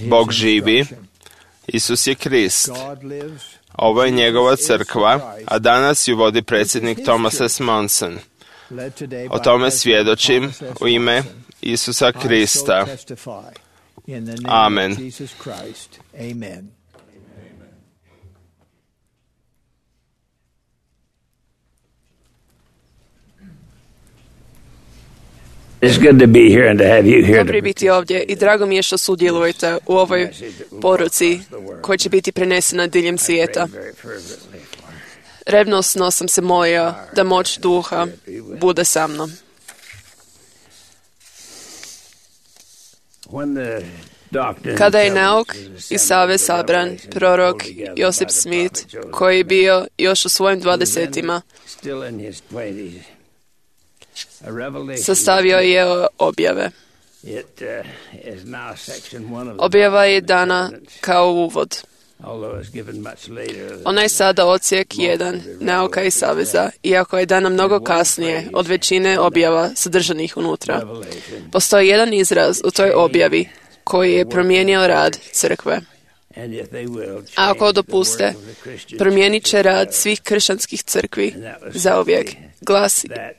Speaker 1: Bog živi, Isus je Krist. Ovo je njegova crkva, a danas ju vodi predsjednik Thomas S. Monson. O tome svjedočim u ime Isusa Krista. Amen.
Speaker 4: Dobro je biti ovdje i drago mi je što sudjelujete u ovoj poruci koja će biti prenesena diljem svijeta. Revnosno sam se molio da moć Duha bude sa mnom. Kada je nauk i savez sabran, prorok Joseph Smith, koji je bio još u svojim 20-ima, sastavio je objave. Objava je dana kao uvod. Onaj sada odsjek 1 nauka i saveza, iako je dana mnogo kasnije od većine objava sadržanih unutra. Postoji jedan izraz u toj objavi koji je promijenio rad crkve. A ako dopuste, promijenit će rad svih kršćanskih crkvi zauvijek.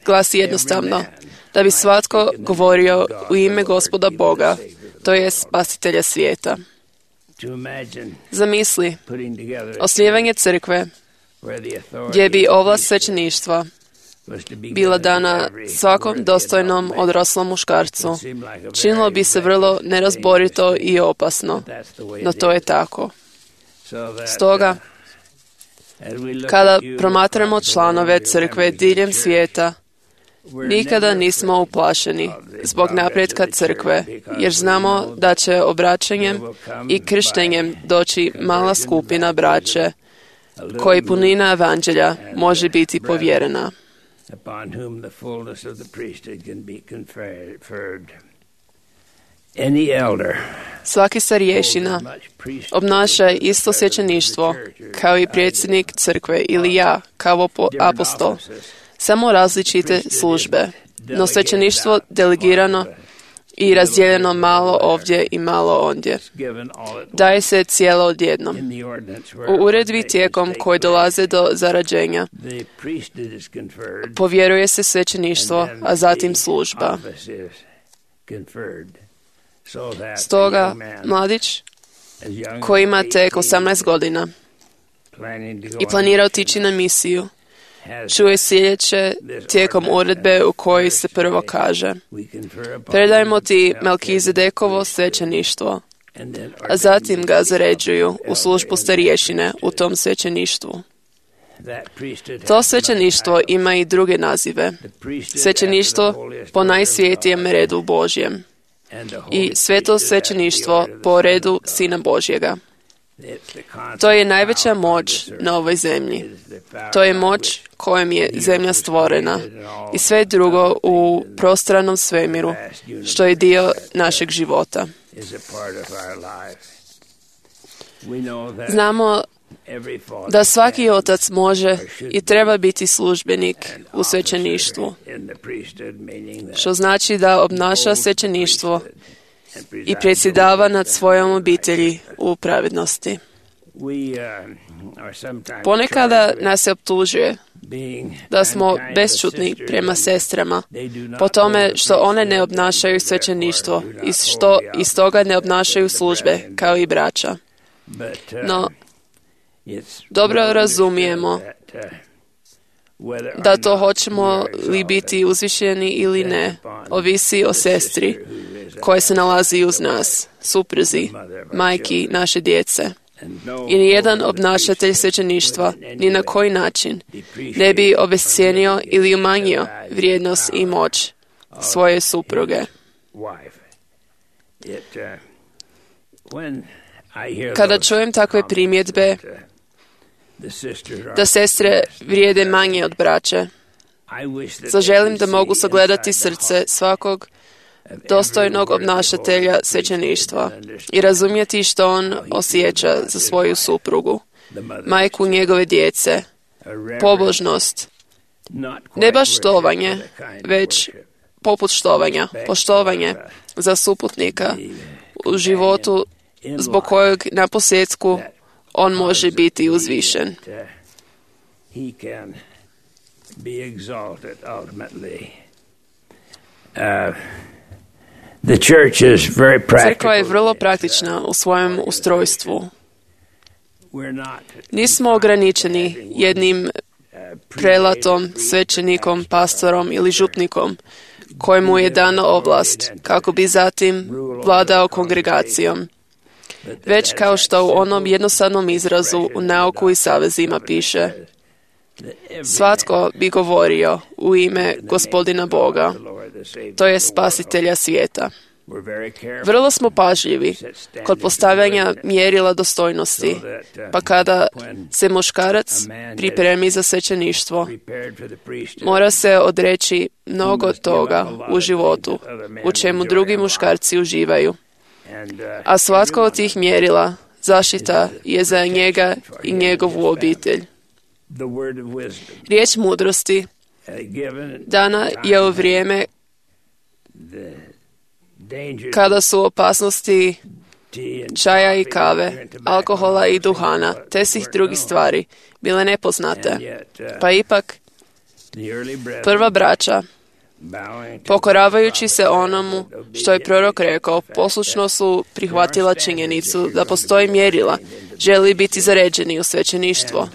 Speaker 4: Glasi jednostavno, da bi svatko govorio u ime Gospoda Boga, to je spasitelja svijeta. Zamisli osnivanje crkve gdje bi ovlast svećeništva bila dana svakom dostojnom odraslom muškarcu. Činilo bi se vrlo nerazborito i opasno, no to je tako. Stoga, kada promatramo članove crkve diljem svijeta, nikada nismo uplašeni zbog napretka crkve, jer znamo da će obraćanjem i krštenjem doći mala skupina braće koji punina evanđelja može biti povjerena. Svaki starješina obnaša isto svećeništvo kao i predsjednik crkve ili ja kao apostol, samo različite službe, no svećeništvo delegirano i razdijeljeno malo ovdje i malo ondje. Daje se cijelo odjednom. U uredbi tijekom koji dolaze do zarađenja povjeruje se svećeništvo, a zatim služba. Stoga, mladić koji ima tek 18 godina i planira otići na misiju, čuje sljedeće tijekom uredbe u kojoj se prvo kaže: predajmo ti Melkizedekovo svećeništvo, a zatim ga zaređuju u službu starješine u tom svećeništvu. To svećeništvo ima i druge nazive: svećeništvo po najsvjetijem redu Božjem i sveto svećeništvo po redu Sina Božjega. To je najveća moć na ovoj zemlji. To je moć kojom je zemlja stvorena i sve drugo u prostranom svemiru, što je dio našeg života. Znamo da svaki otac može i treba biti službenik u svećeništvu, što znači da obnaša svećeništvo i predsjedava nad svojom obitelji u pravednosti. Ponekada nas se optužuje da smo bešćutni prema sestrama po tome što one ne obnašaju svećeništvo i što iz toga ne obnašaju službe kao i braća. No, dobro razumijemo da to hoćemo li biti uzvišeni ili ne, ovisi o sestri koja se nalazi uz nas, supruzi, majki naše djece. I nijedan obnašatelj svećeništva ni na koji način ne bi obescijenio ili umanjio vrijednost i moć svoje supruge. Kada čujem takve primjedbe da sestre vrijede manje od braće, zaželim da mogu sagledati srce svakog dostojnog obnašatelja svećeništva i razumjeti što on osjeća za svoju suprugu, majku njegove djece, pobožnost, ne baš štovanje, već poput štovanja, poštovanje za suputnika u životu zbog kojeg na posljedku on može biti uzvišen. Crkva je vrlo praktična u svojem ustrojstvu. Nismo ograničeni jednim prelatom, svećenikom, pastorom ili župnikom kojemu je dana ovlast kako bi zatim vladao kongregacijom. Već kao što u onom jednostavnom izrazu u nauku i savezima piše: svatko bi govorio u ime Gospodina Boga, to je spasitelja svijeta. Vrlo smo pažljivi kod postavljanja mjerila dostojnosti, pa kada se muškarac pripremi za svećeništvo, mora se odreći mnogo toga u životu, u čemu drugi muškarci uživaju. A svatko od tih mjerila zaštita je za njega i njegovu obitelj. Riječ mudrosti dana je u vrijeme kada su opasnosti čaja i kave, alkohola i duhana, te svih drugih stvari bile nepoznate. Pa ipak, prva braća, pokoravajući se onomu što je prorok rekao, poslušno su prihvatila činjenicu da postoji mjerila, želi biti zaređeni u svećeništvo.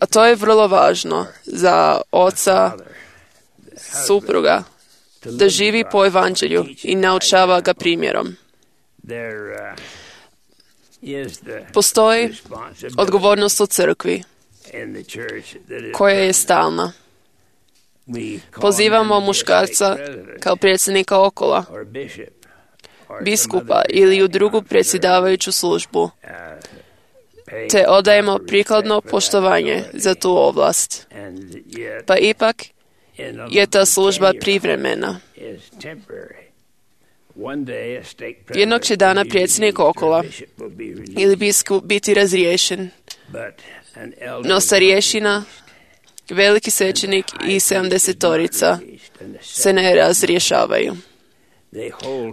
Speaker 4: A to je vrlo važno za oca, supruga, da živi po evanđelju i naučava ga primjerom. Postoji odgovornost u crkvi koja je stalna. Pozivamo muškarca kao predsjednika okola, biskupa ili u drugu predsjedavajuću službu, te odajemo prikladno poštovanje za tu ovlast. Pa ipak je ta služba privremena. Jednog će dana predsjednik okola ili biskup biti razriješen, no starješina, veliki svećenik i 70-torica se ne razrješavaju.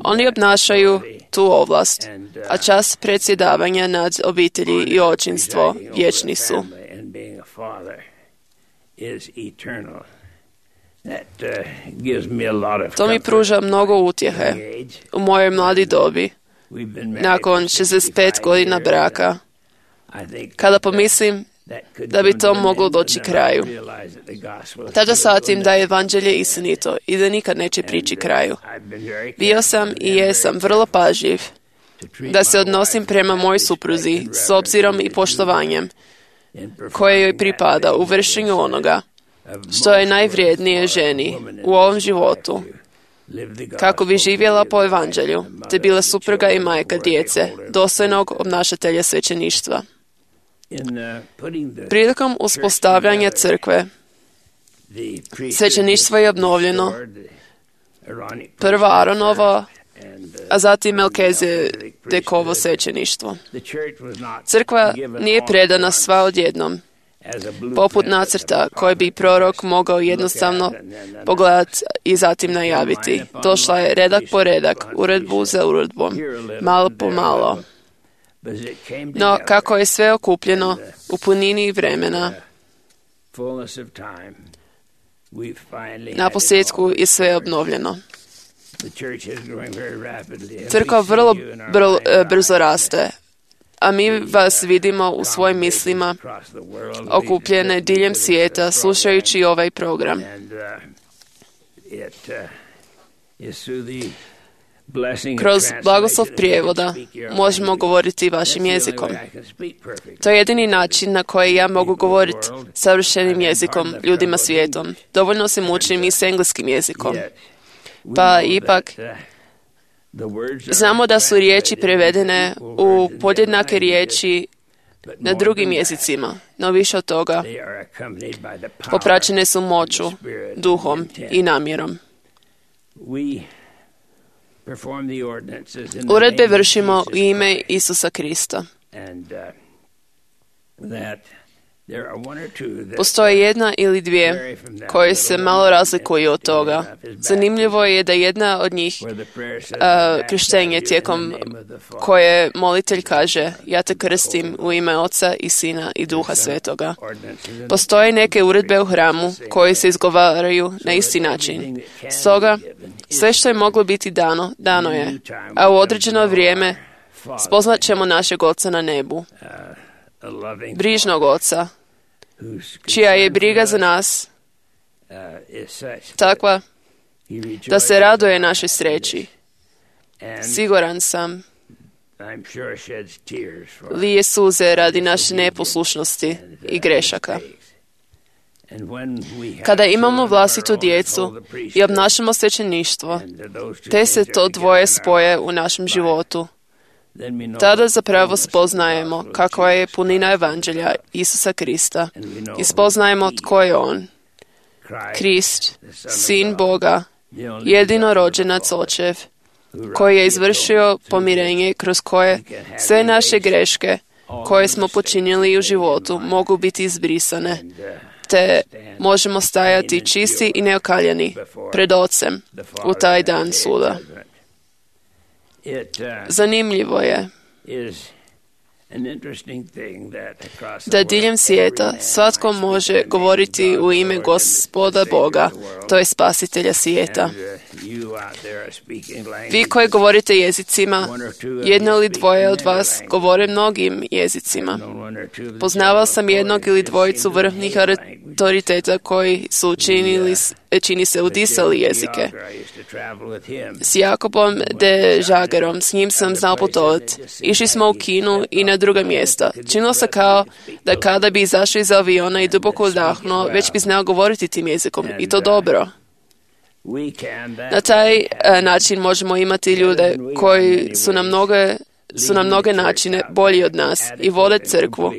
Speaker 4: Oni obnašaju tu ovlast, a čast predsjedavanja nad obitelji i očinstvo vječni su. To mi pruža mnogo utjehe u mojoj mladi dobi, nakon 65 godina braka, kada pomislim da bi to moglo doći kraju. Tada shvatim da je evanđelje istinito i da nikad neće prići kraju. Bio sam i jesam vrlo pažljiv da se odnosim prema mojoj supruzi s obzirom i poštovanjem koje joj pripada u vršenju onoga što je najvrijednije ženi u ovom životu, kako bi živjela po evanđelju, te bila supruga i majka djece, dostojnog obnašatelja svećeništva. Prilikom uspostavljanja crkve, svećeništvo je obnovljeno, prvo Aronovo, a zatim Melkizedekovo svećeništvo. Crkva nije predana sva odjednom, poput nacrta koje bi prorok mogao jednostavno pogledati i zatim najaviti. Došla je redak po redak, uredbu za uredbom, malo po malo. No, kako je sve okupljeno u punini vremena, na posljedku je sve obnovljeno. Crkva vrlo brzo raste, a mi vas vidimo u svojim mislima okupljene diljem svijeta slušajući ovaj program. Kroz blagoslov prijevoda možemo govoriti vašim jezikom. To je jedini način na koji ja mogu govoriti savršenim jezikom ljudima svijetom. Dovoljno se mučim i s engleskim jezikom. Pa ipak, znamo da su riječi prevedene u podjednake riječi na drugim jezicima, no više od toga, popraćene su moću, duhom i namjerom. Uredbe vršimo u ime Isusa Krista. Postoje jedna ili dvije koje se malo razlikuju od toga. Zanimljivo je da jedna od njih krštenje tijekom koje molitelj kaže: ja te krstim u ime Oca i Sina i Duha Svetoga. Postoje neke uredbe u hramu koje se izgovaraju na isti način. Stoga, sve što je moglo biti dano, dano je, a u određeno vrijeme spoznat ćemo našeg Oca na nebu, brižnog Oca, čija je briga za nas takva da se raduje našoj sreći. Siguran sam, lije suze radi naše neposlušnosti i grešaka. Kada imamo vlastitu djecu i obnašamo svećeništvo, te se to dvoje spoje u našem životu, tada zapravo spoznajemo kakva je punina evanđelja Isusa Krista i spoznajemo tko je On. Krist, Sin Boga, jedinorođenac Očev, koji je izvršio pomirenje kroz koje sve naše greške koje smo počinili u životu mogu biti izbrisane, te možemo stajati čisti i neokaljani pred Ocem u taj dan suda. Zanimljivo je da diljem svijeta svatko može govoriti u ime Gospoda Boga, to je Spasitelja svijeta. Vi koji govorite jezicima, jedno ili dvoje od vas govore mnogim jezicima. Poznavao sam jednog ili dvojicu vrhovnih autoriteta koji su čini se udisali jezike. S Jakobom de Žagerom, s njim sam znao putovati. Išli smo u Kinu i na druga mjesta. Činilo se kao da kada bi izašao iz aviona i duboko udahnuo, već bi znao govoriti tim jezikom. I to dobro. Na taj način možemo imati ljude koji su na mnoge načine bolji od nas i vole crkvu,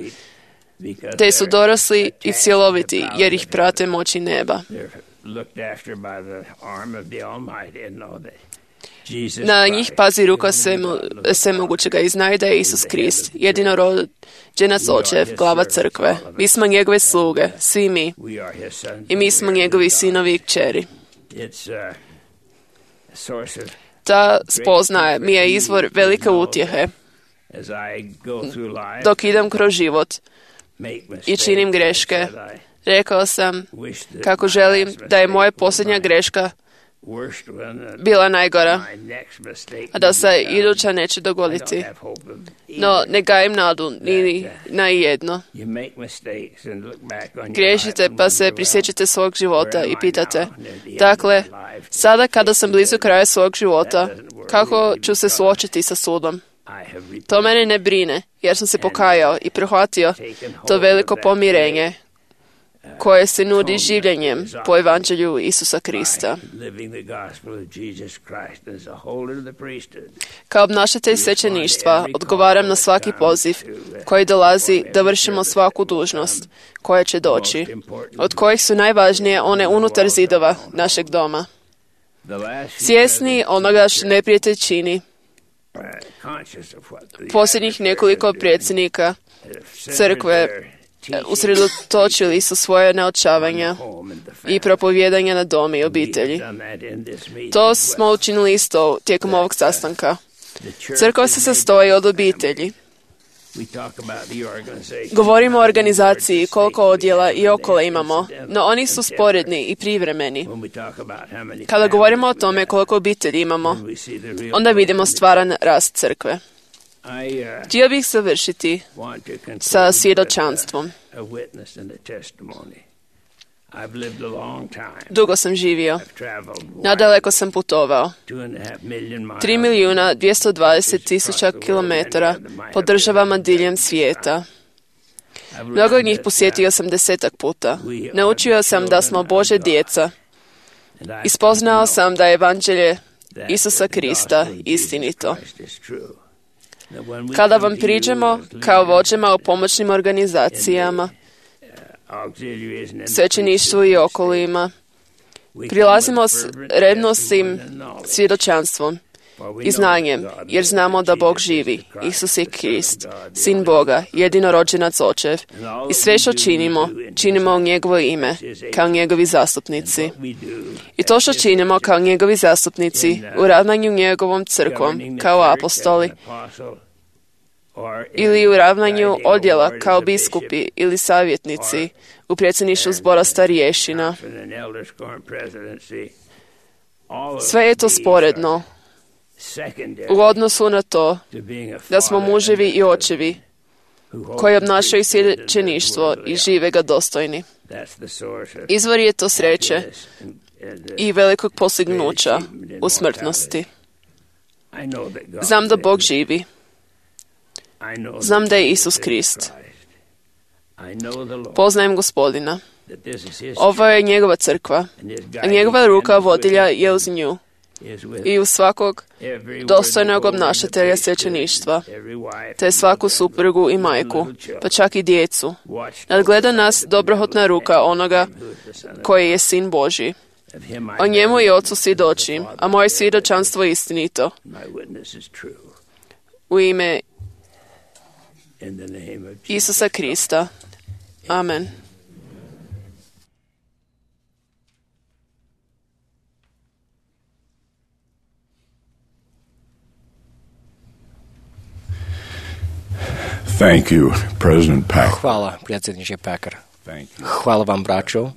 Speaker 4: te su dorasli i cjeloviti jer ih prate moći neba. Na njih pazi ruka svemogućega i znaju da je Isus Krist, jedinorođenac Očev, glava crkve. Mi smo njegove sluge, svi mi. I mi smo njegovi sinovi i kćeri. Ta spoznaja mi je izvor velike utjehe dok idem kroz život i činim greške. Rekao sam kako želim da je moja posljednja greška bila najgora, a da se iduća neće dogoditi. No, ne gajim nadu ni na jedno. Griješite pa se prisjećate svog života i pitate, dakle, sada kada sam blizu kraja svog života, kako ću se suočiti sa sudom? To mene ne brine, jer sam se pokajao i prihvatio to veliko pomirenje koje se nudi življenjem po evanđelju Isusa Krista. Kao obnašatelj svećeništva odgovaram na svaki poziv koji dolazi da vršimo svaku dužnost koja će doći, od kojih su najvažnije one unutar zidova našeg doma. Svjesni onoga što neprijatelj čini, posljednjih nekoliko predsjednika crkve usredotočili su svoje naočavanja i propovijedanja na dom i obitelji. To smo učinili isto tijekom ovog sastanka. Crkva se sastoji od obitelji. Govorimo o organizaciji, koliko odjela i okole imamo, no oni su sporedni i privremeni. Kada govorimo o tome koliko obitelji imamo, onda vidimo stvaran rast crkve. Htio bih završiti sa svjedočanstvom. Dugo sam živio. Nadaleko sam putovao. 3.220.000 kilometara po državama diljem svijeta. Mnogo od njih posjetio sam 10 puta. Naučio sam da smo Božja djeca. Ispoznao sam da je evanđelje Isusa Krista istinito. Kada vam priđemo kao vođama u pomoćnim organizacijama, svećeništvu i okolima, prilazimo s revnostim svjedočanstvom i znanjem, jer znamo da Bog živi, Isus je Krist, Sin Boga, jedinorođenac Očev, i sve što činimo u njegovo ime, kao njegovi zastupnici. I to što činimo kao njegovi zastupnici u ravnanju njegovom crkvom, kao apostoli, ili u ravnanju odjela kao biskupi ili savjetnici u predsjedništvu zbora starješina. Sve je to sporedno u odnosu na to da smo muževi i očevi koji obnašaju svećeništvo i žive ga dostojni. Izvor je to sreće i velikog postignuća u smrtnosti. Znam da Bog živi. Znam da je Isus Krist. Poznajem Gospodina. Ovo je njegova crkva, a njegova ruka vodilja je uz nju i uz svakog dostojnog obnašatelja svećeništva, te svaku suprugu i majku, pa čak i djecu. Nadgleda nas dobrohotna ruka onoga koji je Sin Božji. O njemu i Ocu svjedočim, a moje svjedočanstvo je istinito. U ime Isusa Krista. Amen.
Speaker 5: Thank you, President Packer.
Speaker 2: Hvala, predsjedniče Packer. Hvala vam, braćo.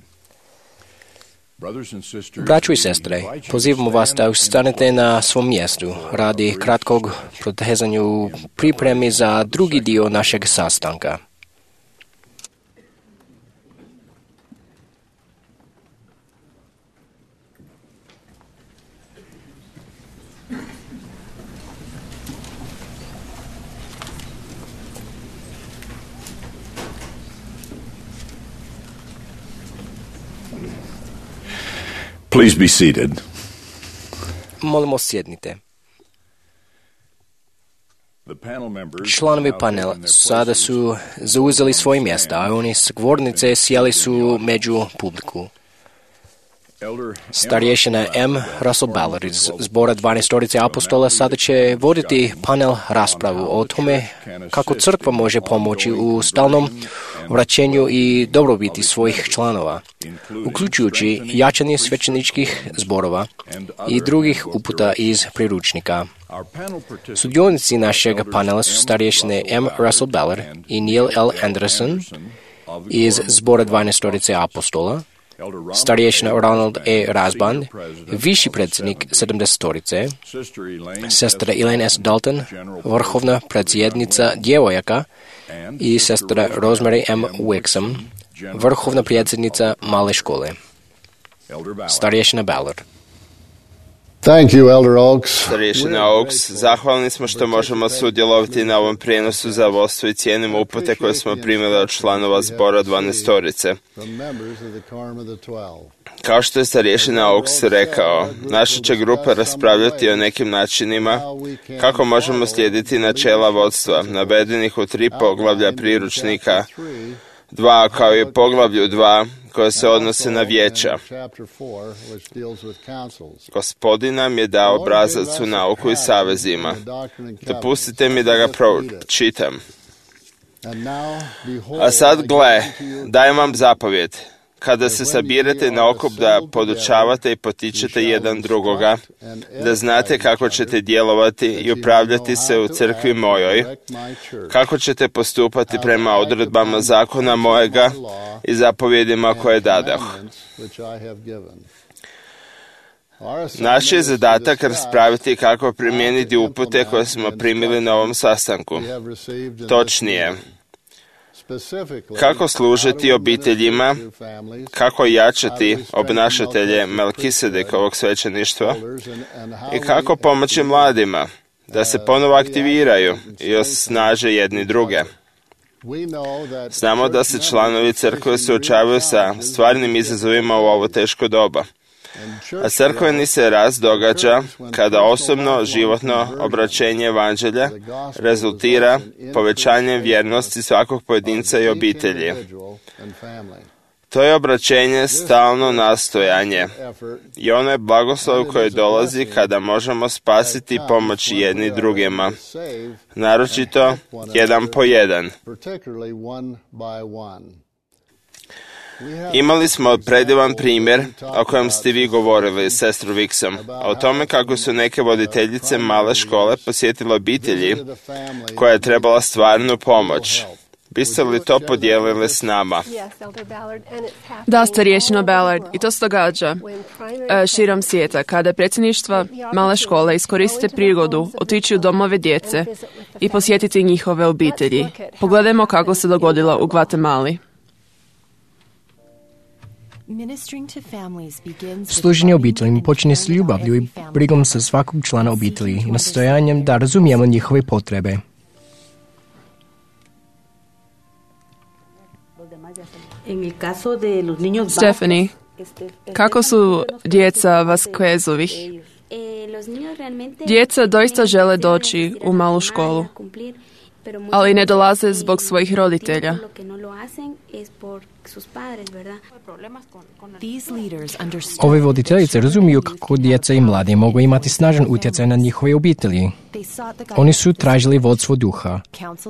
Speaker 2: Braćo i sestre, pozivamo vas da ustanete na svom mjestu radi kratkog protezanja u pripremi za drugi dio našeg sastanka.
Speaker 5: Please be seated.
Speaker 2: Molimo, sjednite. Članovi panela sada su zauzeli svoje mjesta, a oni s govornice sjeli su među publiku. Starješina M. Russell Ballard iz zbora 12 apostola sada će voditi panel raspravu o tome kako crkva može pomoći u stalnom vraćanju i dobrobiti svojih članova, uključujući jačanje svećeničkih zborova i drugih uputa iz priručnika. Sudionici našeg panela su starješine M. Russell Ballard i Neil L. Anderson iz zbora 12 apostola, starješina Ronald E. Rasband, viši predsjednik 70-torice, sestra Elaine S. Dalton, vrhovna predsjednica djevojaka, i sestra Rosemary M. Wixom, vrhovna predsjednica male škole. Starješina Ballard.
Speaker 6: Thank you, Elder Oaks.
Speaker 1: Starješina Oaks, zahvalni smo što možemo sudjelovati na ovom prijenosu za vodstvo i cijenimo upute koje smo primili od članova zbora 12-torice. Kao što je starješina Oaks rekao, naša će grupa raspravljati o nekim načinima kako možemo slijediti načela vodstva, navedenih u 3 poglavlja priručnika 2, kao i poglavlju 2, koje se odnose na vijeća. Gospodin nam je dao obrazac u nauku i savezima. Dopustite mi da ga pročitam. A sad gle, dajem vam zapovjed. Kada se sabirate na okup da podučavate i potičete jedan drugoga, da znate kako ćete djelovati i upravljati se u crkvi mojoj, kako ćete postupati prema odredbama zakona mojega i zapovjedima koje dadah. Naš je zadatak raspraviti kako primijeniti upute koje smo primili na ovom sastanku. Točnije, kako služiti obiteljima, kako jačati obnašatelje Melkisedekovog svećeništva i kako pomoći mladima da se ponovo aktiviraju i osnaže jedni druge. Znamo da se članovi crkve suočavaju sa stvarnim izazovima u ovo teško doba. A crkveni se rast događa kada osobno životno obraćenje evanđelja rezultira povećanjem vjernosti svakog pojedinca i obitelji. To je obraćenje stalno nastojanje i ono je blagoslov koji dolazi kada možemo spasiti i pomoći jedni drugima, naročito jedan po jedan. Imali smo predivan primjer o kojem ste vi govorili, sestru Wixom, o tome kako su neke voditeljice male škole posjetile obitelji koja je trebala stvarnu pomoć. Biste li to podijelili s nama?
Speaker 4: Da, starješino Ballard, i to se događa širom svijeta, kada predsjedništva male škole iskoriste prigodu otići u domove djece i posjetiti njihove obitelji. Pogledajmo kako se dogodilo u Gvatemali.
Speaker 2: Služenje obiteljima počinje s ljubavlju i brigom sa svakog člana obitelji i nastojanjem da razumijemo njihove potrebe.
Speaker 4: Stephanie, kako su djeca Vasquezovih? Djeca doista žele doći u malu školu. ali ne dolaze zbog svojih roditelja.
Speaker 2: Ove voditeljice razumiju kako djeca i mladi mogu imati snažan utjecaj na njihove obitelji. Oni su tražili vodstvo duha,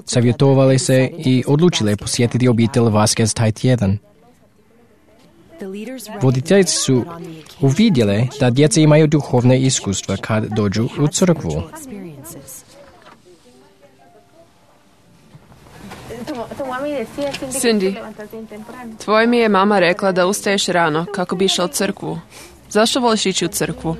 Speaker 2: savjetovali se i odlučili posjetiti obitelj Vasquez taj tjedan. Voditeljice su uvidjele da djeca imaju duhovne iskustva kad dođu u crkvu.
Speaker 4: Cindy, tvoja mi je mama rekla da ustaješ rano kako bi išla u crkvu. Zašto voliš ići u crkvu?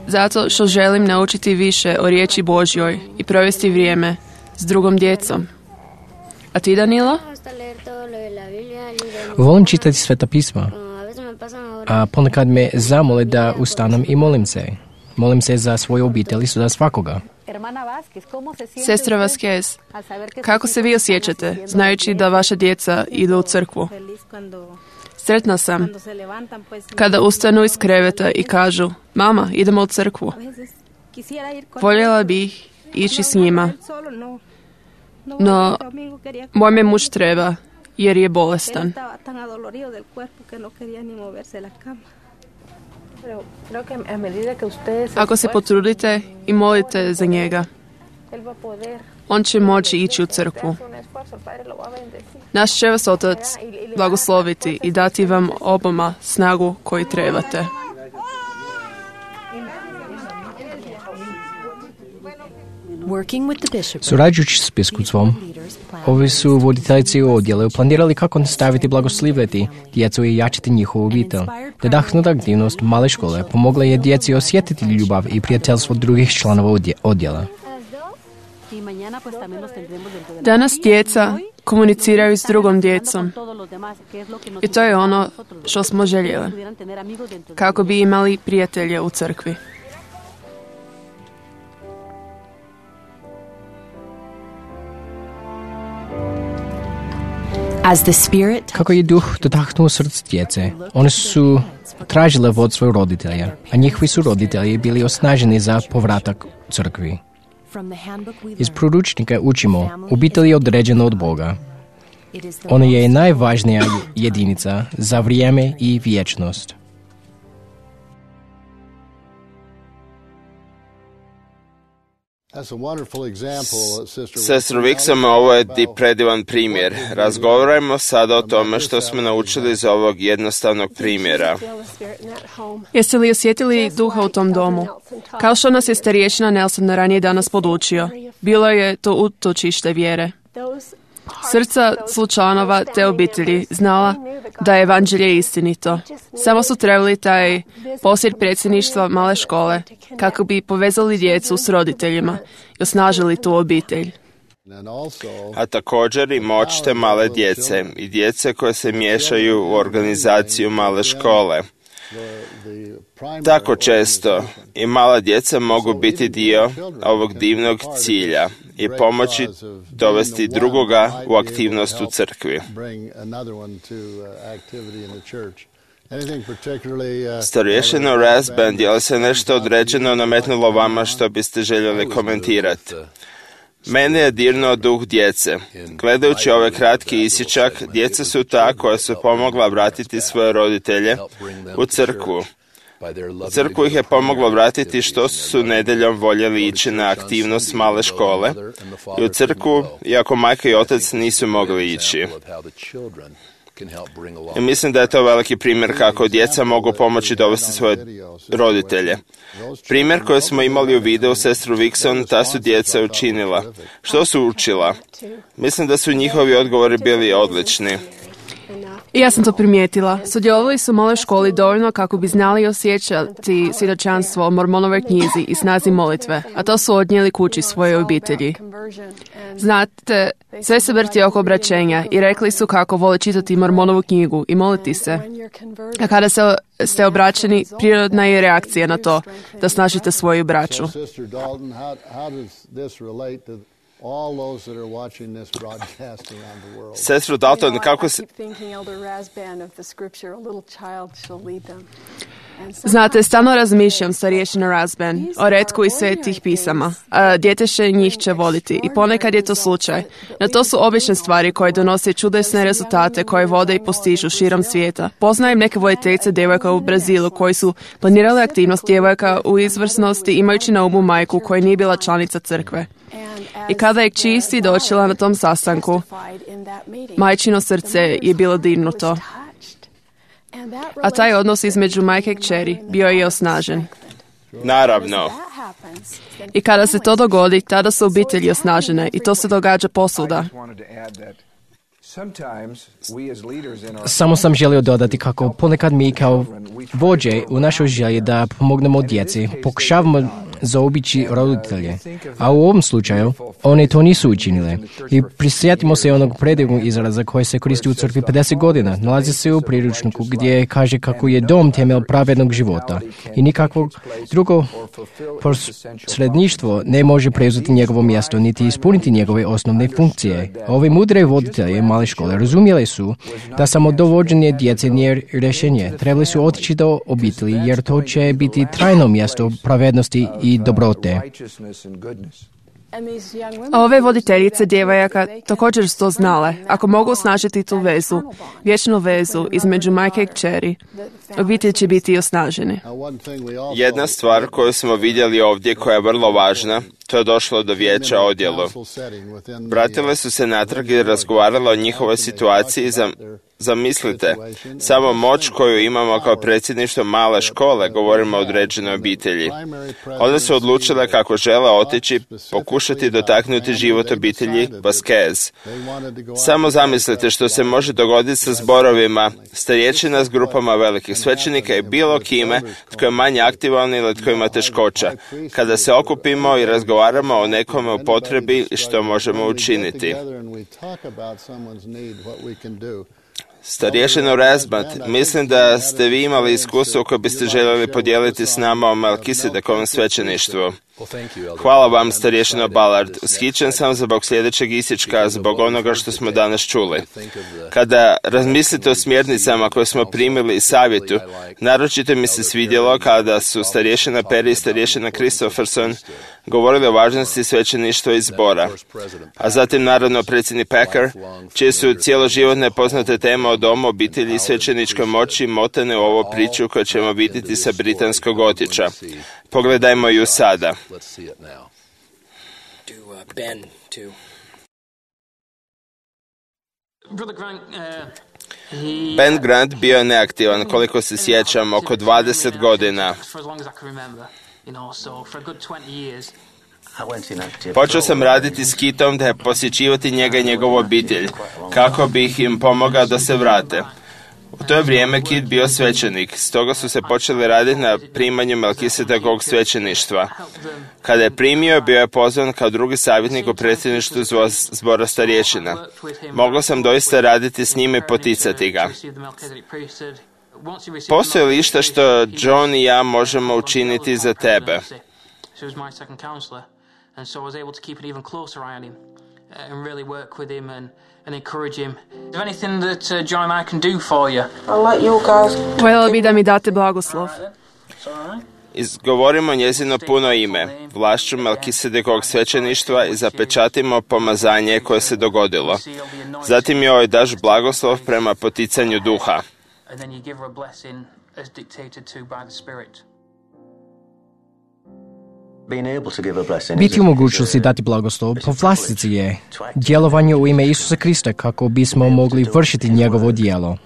Speaker 4: Zato što želim naučiti više o riječi Božjoj i provesti vrijeme s drugom djecom. A ti, Danilo?
Speaker 2: Volim čitati Sveta pisma, a ponekad me zamole da ustanem i molim se. Molim se za svoju obitelj i za svakoga.
Speaker 4: Sestra Vasquez, kako se vi osjećate, znajući da vaša djeca idu u crkvu? Sretna sam kada ustanu iz kreveta i kažu, mama, idemo u crkvu. Voljela bih ići s njima, no moj me muž treba jer je bolestan. Ako se potrudite i molite za njega, on će moći ići u crkvu. Naš će vas Otac blagosloviti i dati vam oboma snagu koju trebate.
Speaker 2: Surađujući s biskupstvom, ovi su voditeljici u odjelu planirali kako nastaviti blagoslivljati djecu i jačiti njihovu obitelj. Nadahnuta aktivnost male škole pomogla je djeci osjetiti ljubav i prijateljstvo drugih članova odjela.
Speaker 4: Danas djeca komuniciraju s drugom djecom i to je ono što smo željeli, kako bi imali prijatelje u crkvi.
Speaker 2: Kako je duh dotaknuo srce djece, oni su tražile vodstvo roditelja, a njihovi su roditelji bili osnaženi za povratak crkvi. Iz poručnika učimo, obitelj je određena od Boga. Ona je najvažnija jedinica za vrijeme i vječnost.
Speaker 1: Sestro Wixom, ovo je predivan primjer. Razgovarajmo sada o tome što smo naučili iz ovog jednostavnog primjera.
Speaker 4: Jeste li osjetili duha u tom domu? Kao što nas je starješina Nelson ranije danas podučio, bilo je to utočište vjere. Srca članova te obitelji znala da je evanđelje istinito. Samo su trebali taj posjet predsjedništva male škole kako bi povezali djecu s roditeljima i osnažili tu obitelj.
Speaker 1: A također i moć te male djece i djece koje se miješaju u organizaciju male škole. Tako često i mala djeca mogu biti dio ovog divnog cilja i pomoći dovesti drugoga u aktivnost u crkvi. Starješina Rasband, je li se nešto određeno nametnulo vama što biste željeli komentirati? Mene je dirnuo duh djece. Gledajući ovaj kratki isječak, djeca su ta koja su pomogla vratiti svoje roditelje u crkvu. Crkvu ih je pomoglo vratiti što su nedjeljom voljeli ići na aktivnost male škole i u crkvu, iako majka i otac nisu mogli ići. I mislim da je to veliki primjer kako djeca mogu pomoći dovesti svoje roditelje. Primjer koji smo imali u videu sestru Wixon, ta su djeca učinila. Što su učila? Mislim da su njihovi odgovori bili odlični.
Speaker 4: I ja sam to primijetila. Sudjelovali su u maloj školi dovoljno kako bi znali osjećati svjedočanstvo o Mormonovoj knjizi i snazi molitve, a to su odnijeli kući svoje obitelji. Znate, sve se vrti oko obraćenja i rekli su kako vole čitati Mormonovu knjigu i moliti se. A kada ste obraćeni, prirodna je reakcija na to da snažite svoju braću.
Speaker 1: Sestro Dalton, kako se...
Speaker 4: Znate, stalno razmišljam, starješina Rasban, o retku i svetih pisama. Djeteše njih će voditi i ponekad je to slučaj. No to su obične stvari koje donose čudesne rezultate koje vode i postižu širom svijeta. Poznajem neke voditeljice djevojka u Brazilu koji su planirale aktivnost djevojka u izvrsnosti imajući na umu majku koja nije bila članica crkve. I kada je čisti dočela na tom sastanku, majčino srce je bilo dirnuto. A taj odnos između majke i kćeri bio je osnažen.
Speaker 1: Naravno.
Speaker 4: I kada se to dogodi, tada su obitelji osnažene i to se događa posvuda.
Speaker 2: Samo sam želio dodati kako ponekad mi kao vođe u našoj želji da pomognemo djeci pokušavamo zaobići roditelje, a u ovom slučaju one to nisu učinile. I prisjetimo se onog predivnog izraza koji se koristi u crkvi 50 godina. Nalazi se u priručniku gdje kaže kako je dom temelj pravednog života i nikakvo drugo posredništvo ne može preuzeti njegovo mjesto niti ispuniti njegove osnovne funkcije. Ovi mudre voditelje male škole razumjeli su da samo dovođenje djece nije rješenje. Trebali su otići do obitelji jer to će biti trajno mjesto pravednosti i dobrote.
Speaker 4: Ove voditeljice djevojaka također su to znale. Ako mogu osnažiti tu vezu, vječnu vezu između majke i kćeri, obitelj će biti osnaženi.
Speaker 1: Jedna stvar koju smo vidjeli ovdje koja je vrlo važna, to je došlo do vijeća odjelu. Vratile su se natrag i razgovarale o njihovoj situaciji. Zamislite, samo moć koju imamo kao predsjedništvo male škole, govorimo o određenoj obitelji. One su odlučile kako žele otići, pokušati dotaknuti život obitelji Vasquez. Samo zamislite što se može dogoditi sa zborovima, starječina s grupama velikih svećenika i bilo kime tko je manje aktivan ili tko ima teškoća. Kada se okupimo i razgovaramo o nekome u potrebi i što možemo učiniti. Starješino Rasbat, mislim da ste vi imali iskustvo koje biste željeli podijeliti s nama o Melkisedekovom svećeništvu. Hvala vam, starješino Ballard. Ushićen sam zbog sljedećeg isječka, zbog onoga što smo danas čuli. Kada razmislite o smjernicama koje smo primili i savjetu, naročito mi se svidjelo kada su starješina Perry i starješina Christopherson govorili o važnosti svećeništva i zbora. A zatim, naravno, predsjednik Packer, čije su cijeloživotne poznate teme o domu, obitelji i svećeničkoj moći motane u ovu priču koju ćemo vidjeti sa britanskog otiča. Pogledajmo ju sada. Ben Grant bio je neaktivan, koliko se sjećam, oko 20 godina. Počeo sam raditi s Kitom da je posjećivati njega i njegovu obitelj, kako bih im pomogao da se vrate. U to je vrijeme Kit bio svećenik, stoga su se počeli raditi na primanju Melkisedekovog svećeništva. Kada je primio, bio je pozvan kao drugi savjetnik u predsjedništvu zbora starješina. Mogao sam doista raditi s njime i poticati ga. Postoji li išta što John i ja možemo učiniti za tebe?
Speaker 7: And encourage him. Is there anything that John and I can do for you?
Speaker 4: I'll let you guys. Voljela bi da mi date blagoslov.
Speaker 1: Izgovorimo njezino puno ime, vlašću Melkisedekovog svećeništva i zapečatimo pomazanje koje se dogodilo. Zatim joj daš blagoslov prema poticanju duha.
Speaker 7: And then you give her a blessing as dictated to by the Spirit.
Speaker 2: Biti u mogućnosti dati blagoslov po vlastici je djelovanje u ime Isusa Krista kako bismo mogli vršiti njegovo djelo.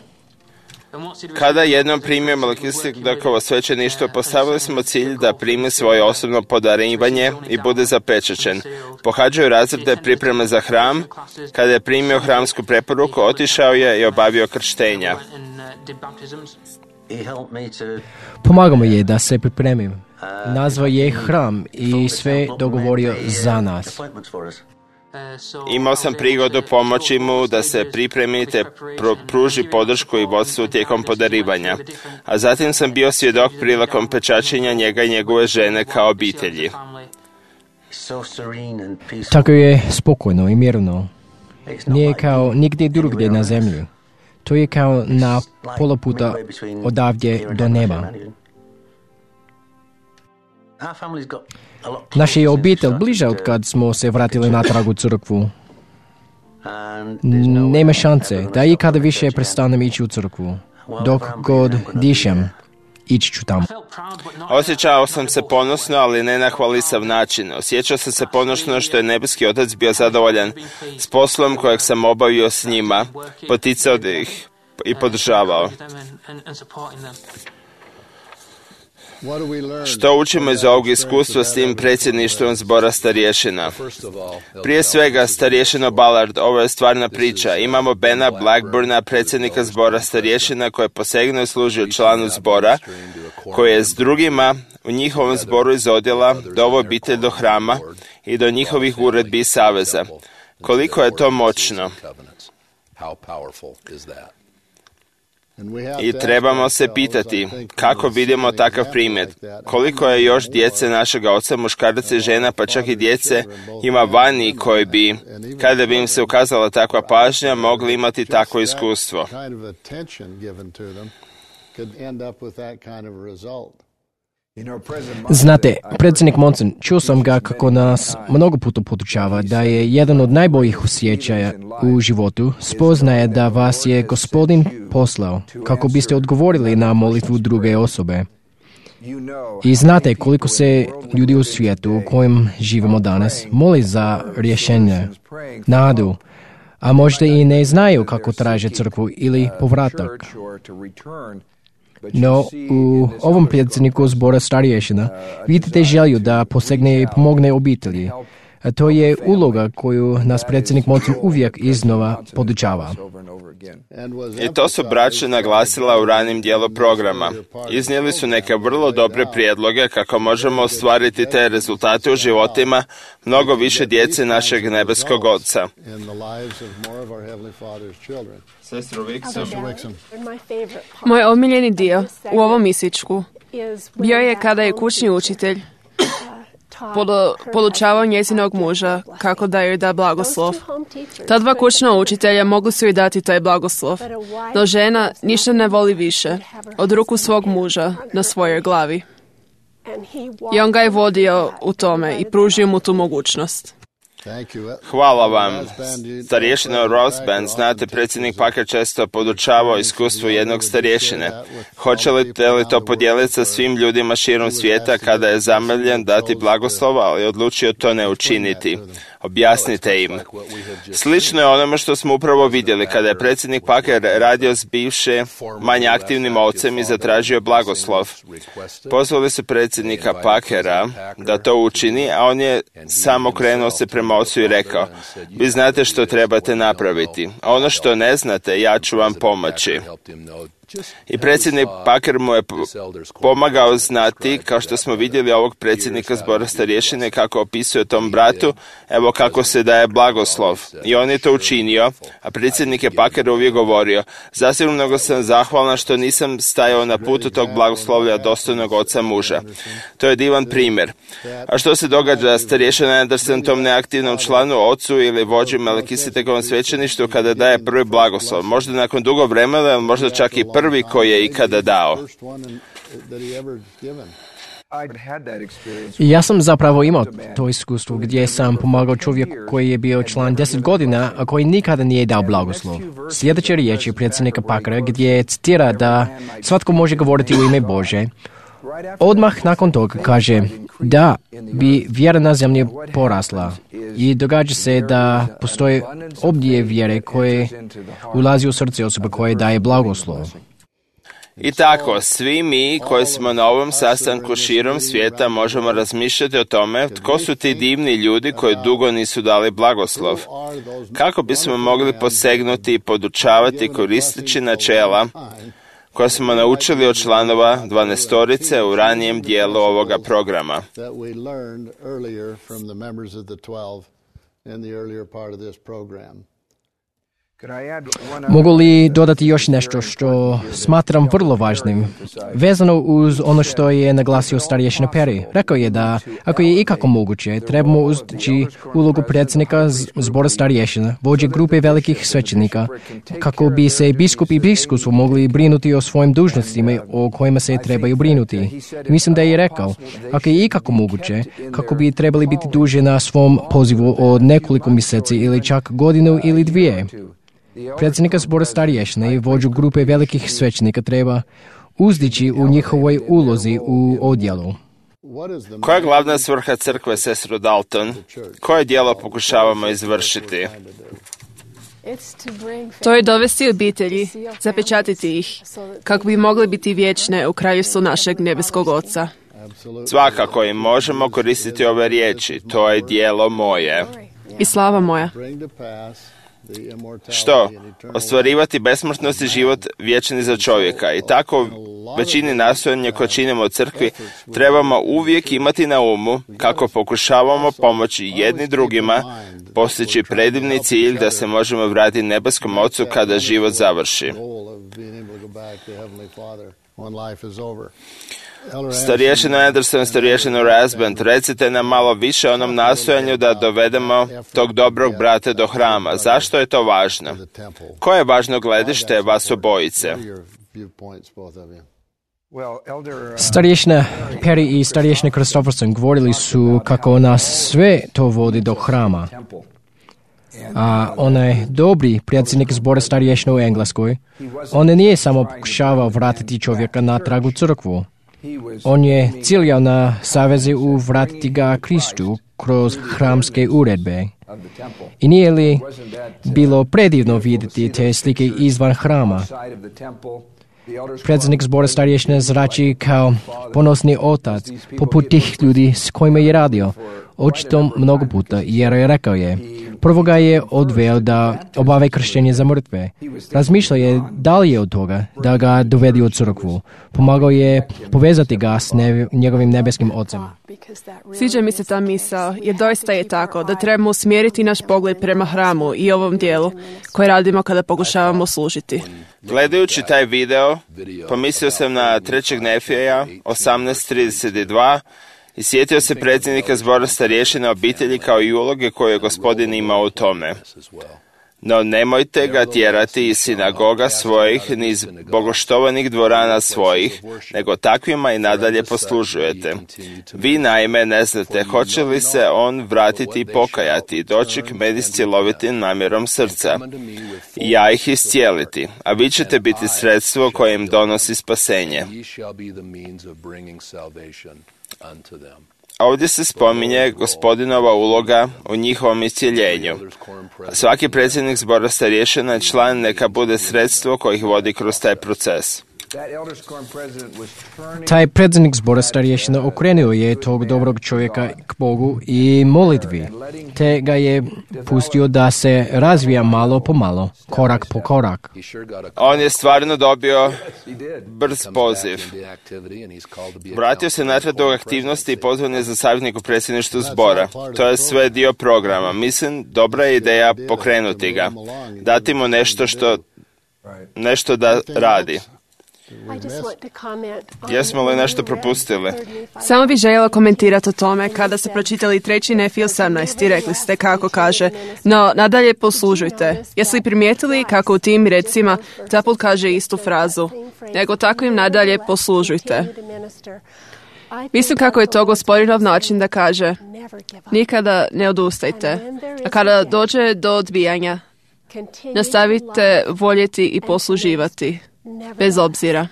Speaker 1: Kada jednom primio Melkisedekovo svećeništvo, postavili smo cilj da primi svoje osobno podarivanje i bude zapečaćen. Pohađaju razrede pripreme za hram. Kada je primio hramsku preporuku, otišao je i obavio krštenja.
Speaker 2: Pomagamo je da se pripremim. Nazvao je hram i sve dogovorio za nas.
Speaker 1: Imao sam prigodu pomoći mu da se pripremite, pruži podršku i vodstvu tijekom podarivanja. A zatim sam bio svjedok prilikom pečačenja njega i njegove žene kao obitelji.
Speaker 2: Tako je spokojno i mirno. Nije kao nigdje drugdje na zemlji. To je kao na pola puta odavdje do neba. Naša je obitelj bliža od kad smo se vratili natrag u crkvu. Nema šanse da ikada više prestanem ići u crkvu. Dok god dišem, ići ću tamo.
Speaker 1: Osjećao sam se ponosno, ali ne na hvalisav način. Osjećao sam se ponosno što je nebeski otac bio zadovoljan s poslom kojeg sam obavio s njima, poticao ih i podržavao. Što učimo iz ovog iskustva s tim predsjedništvom zbora starješina? Prije svega, starješino Ballard, ovo je stvarna priča. Imamo Bena Blackburna, predsjednika zbora starješina, koji je posegnuo i služio članu zbora, koji je s drugima u njihovom zboru iz odjela doveo obitelj do hrama i do njihovih uredbi i saveza. Koliko je to moćno? I trebamo se pitati kako vidimo takav primjer. Koliko je još djece našega oca, muškaraca i žena, pa čak i djece ima vani koji bi, kada bi im se ukazala takva pažnja, mogli imati takvo iskustvo.
Speaker 2: Znate, predsjednik Monson, čuo sam ga kako nas mnogo puta podučava da je jedan od najboljih osjećaja u životu spoznaje da vas je Gospodin poslao kako biste odgovorili na molitvu druge osobe. I znate koliko se ljudi u svijetu u kojem živimo danas moli za rješenje, nadu, a možda i ne znaju kako traže crkvu ili povratak. No, u ovom predsjedniku zbora starješina vidite želju da posegne i pomogne obitelji. A to je uloga koju nas predsjednik Monson uvijek iznova podučava.
Speaker 1: I to su braća naglasila u ranim dijelu programa. Iznijeli su neke vrlo dobre prijedloge kako možemo ostvariti te rezultate u životima mnogo više djece našeg nebeskog Oca.
Speaker 4: Moj omiljeni dio u ovom isičku bio je kada je kućni učitelj podučavao njezinog muža kako da joj da blagoslov. Ta dva kućna učitelja mogli su joj dati taj blagoslov, no žena ništa ne voli više od ruku svog muža na svojoj glavi. I on ga je vodio u tome i pružio mu tu mogućnost.
Speaker 1: Hvala vam. Starješina Rosband, znate, predsjednik Packer često podučavao iskustvo jednog starješine. Hoćete li to podijeliti sa svim ljudima širom svijeta kada je zamoljen dati blagoslova, ali odlučio to ne učiniti? Objasnite im. Slično je onome što smo upravo vidjeli kada je predsjednik Packer radio s bivše manje aktivnim ocem i zatražio blagoslov. Pozvali su predsjednika Packera da to učini, a on je samo okrenuo se prema ocu i rekao: vi znate što trebate napraviti, a ono što ne znate, ja ću vam pomoći. I predsjednik Packer mu je pomagao znati, kao što smo vidjeli ovog predsjednika zbora starješine kako opisuje tom bratu, evo kako se daje blagoslov. I on je to učinio, a predsjednik je Packer uvijek govorio: zasigurno sam zahvalan što nisam stajao na putu tog blagoslovlja dostojnog oca muža. To je divan primjer. A što se događa starješina Anderson tom neaktivnom članu, ocu ili vođi Melkisitekovom svećeništvu kada daje prvi blagoslov? Možda nakon dugo vremena, možda čak i prvi koji je ikada dao.
Speaker 2: Ja sam zapravo imao to iskustvo gdje sam pomagao čovjeku koji je bio član 10 godina, a koji nikada nije dao blagoslov. Sljedeća riječ je predsjednika Packera gdje citira da svatko može govoriti u ime Bože. Odmah nakon toga kaže da bi vjera na zemlji porasla i događa se da postoje obdije vjere koje ulazi u srce osobe koje daje blagoslov.
Speaker 1: I tako, svi mi koji smo na ovom sastanku širom svijeta možemo razmišljati o tome tko su ti divni ljudi koji dugo nisu dali blagoslov. Kako bismo mogli posegnuti i podučavati koristeći načela koja smo naučili od članova 12-torice u ranijem dijelu ovoga programa.
Speaker 2: Mogu li dodati još nešto što smatram vrlo važnim? Vezano uz ono što je naglasio starješina Perry. Rekao je da, ako je ikako moguće, trebamo uzdići ulogu predsjednika zbora starješina, vođe grupe velikih svećenika, kako bi se biskup i biskupstvo mogli brinuti o svojim dužnostima o kojima se trebaju brinuti. Mislim da je rekao, ako je ikako moguće, kako bi trebali biti duže na svom pozivu od nekoliko mjeseci ili čak godinu ili dvije. Predsjednika zbora starješina i vođu grupe velikih svećenika treba uzdići u njihovoj ulozi u odjelu.
Speaker 1: Koja je glavna svrha crkve, sestro Dalton? Koje djelo pokušavamo izvršiti?
Speaker 4: To je dovesti obitelji, zapečatiti ih, kako bi mogli biti vječne u kraljevstvu našeg nebeskog Oca.
Speaker 1: Svakako im možemo koristiti ove riječi. To je djelo moje.
Speaker 4: I slava moja.
Speaker 1: Što? Ostvarivati besmrtnost i život vječni za čovjeka. I tako većini nastojanja koje činimo u crkvi trebamo uvijek imati na umu kako pokušavamo pomoći jedni drugima postići predivni cilj da se možemo vratiti nebeskom Ocu kada život završi. Starješino Anderson, starješino Rasband, recite nam malo više o onom nastojanju da dovedemo tog dobrog brata do hrama. Zašto je to važno? Koje je važno gledište vas obojice?
Speaker 2: Starješina Perry i starješina Christopherson govorili su kako nas sve to vodi do hrama. A onaj dobri predsjednik zbora starješina u Engleskoj, on nije samo pokušavao vratiti čovjeka natrag u crkvu. On je ciljao na savezi vratiti ga Kristu kroz hramske uredbe. I nije li bilo predivno vidjeti te slike izvan hrama? Predsjednik zbora starješina zrači kao ponosni otac poput tih ljudi s kojima je radio. Očito mnogo puta, jer je rekao je, prvo ga je odveo da obave krštenje za mrtve. Razmišljao je dalje od toga da ga dovedi u crkvu. Pomagao je povezati ga s njegovim nebeskim Ocem.
Speaker 4: Sviđa mi se ta misao, jer doista je tako da trebamo usmjeriti naš pogled prema hramu i ovom dijelu koje radimo kada pokušavamo služiti.
Speaker 1: Gledajući taj video, pomislio sam na 3. Nefija 18:32 i sjetio se predsjednika zbora starješina obitelji kao i uloge koju je Gospodin imao u tome. No nemojte ga tjerati iz sinagoga svojih, ni iz bogoštovanih dvorana svojih, nego takvima i nadalje poslužujete. Vi naime ne znate hoće li se on vratiti i pokajati i doći k meni s cjelovitim namjerom srca. I ja ih iscijeliti, a vi ćete biti sredstvo koje im donosi spasenje. Ovdje se spominje Gospodinova uloga u njihovom iscijeljenju. Svaki predsjednik zbora starješina član neka bude sredstvo koje ih vodi kroz taj proces.
Speaker 2: Taj predsjednik zbora starješina okrenuo je tog dobrog čovjeka k Bogu i molitvi, te ga je pustio da se razvija malo po malo, korak po korak.
Speaker 1: On je stvarno dobio brz poziv. Vratio se natrag do aktivnosti i pozvan je za savjetnik u predsjedništvu zbora. To je sve dio programa. Mislim, dobra je ideja pokrenuti ga. Dati mu nešto da radi. Jesmo li nešto propustili?
Speaker 4: Samo bih željela komentirati o tome kada ste pročitali 3. Nefija 18 i rekli ste kako kaže, no nadalje poslužujte. Jeste li primijetili kako u tim recima zaput kaže istu frazu, nego takvim nadalje poslužujte. Mislim kako je to Gospodinov način da kaže, nikada ne odustajte, a kada dođe do odbijanja, nastavite voljeti i posluživati. Bez obzira.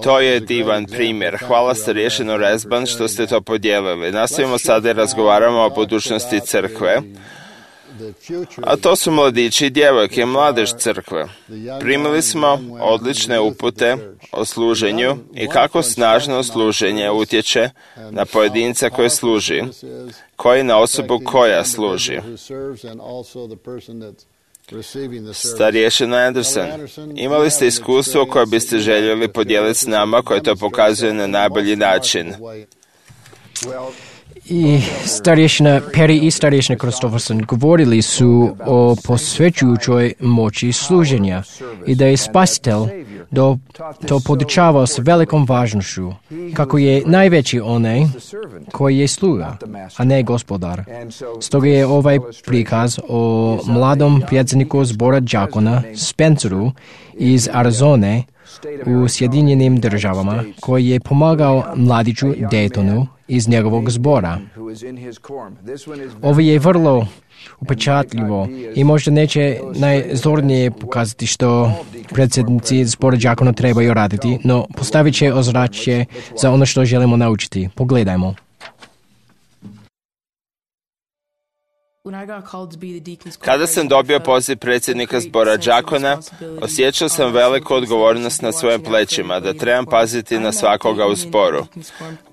Speaker 1: To je divan primjer. Hvala starješino Rasband što ste to podijelili. Nastavimo sada i razgovaramo o budućnosti crkve. A to su mladići i djevojke, mladež crkve. Primili smo odlične upute o služenju i kako snažno služenje utječe na pojedinca koji služi, koji na osobu koja služi. Starješina Anderson, imali ste iskustvo koje biste željeli podijeliti s nama, koje to pokazuje na najbolji način?
Speaker 2: I starješina Perry i starješina Kristofferson govorili su o posvećujućoj moći služenja i da je Spasitelj to podučavao s velikom važnošću, kako je najveći onaj koji je sluga, a ne gospodar. Stoga je ovaj prikaz o mladom predsjedniku zbora đakona Spenceru iz Arizone u Sjedinjenim državama, koji je pomagao mladiću Daytonu iz njegovog zbora. Ovo je vrlo upečatljivo i možda neće najzornije pokazati što predsjednici zbora đakona trebaju raditi, no postavit će ozračje za ono što želimo naučiti. Pogledajmo.
Speaker 1: Kada sam dobio poziv predsjednika zbora đakona, osjećao sam veliku odgovornost na svojim plećima, da trebam paziti na svakoga u zboru.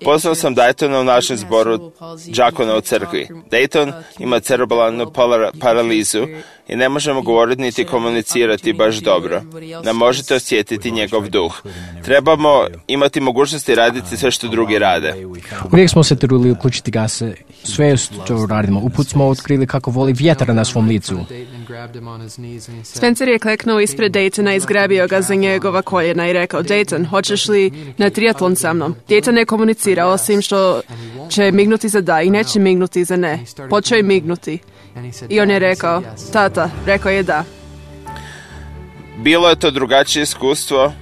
Speaker 1: Poznao sam Daytona u našem zboru đakona u crkvi. Dayton ima cerebralnu paralizu i ne možemo govoriti niti komunicirati baš dobro. Ne možete osjetiti njegov duh. Trebamo imati mogućnosti raditi sve što drugi rade.
Speaker 2: Uvijek smo se trudili uključiti ga sve što radimo. Uput smo otkrili kako voli vjetar na svom licu.
Speaker 4: Spencer je kleknuo ispred Daytona i zgrabio ga za njegova koljena i rekao: Dayton, hoćeš li na triatlon sa mnom? Dayton ne komunicira, osim što će mignuti za da i neće mignuti za ne. Počeo je mignuti. I on je rekao: tata, rekao je da.
Speaker 1: Bilo je to drugačije iskustvo.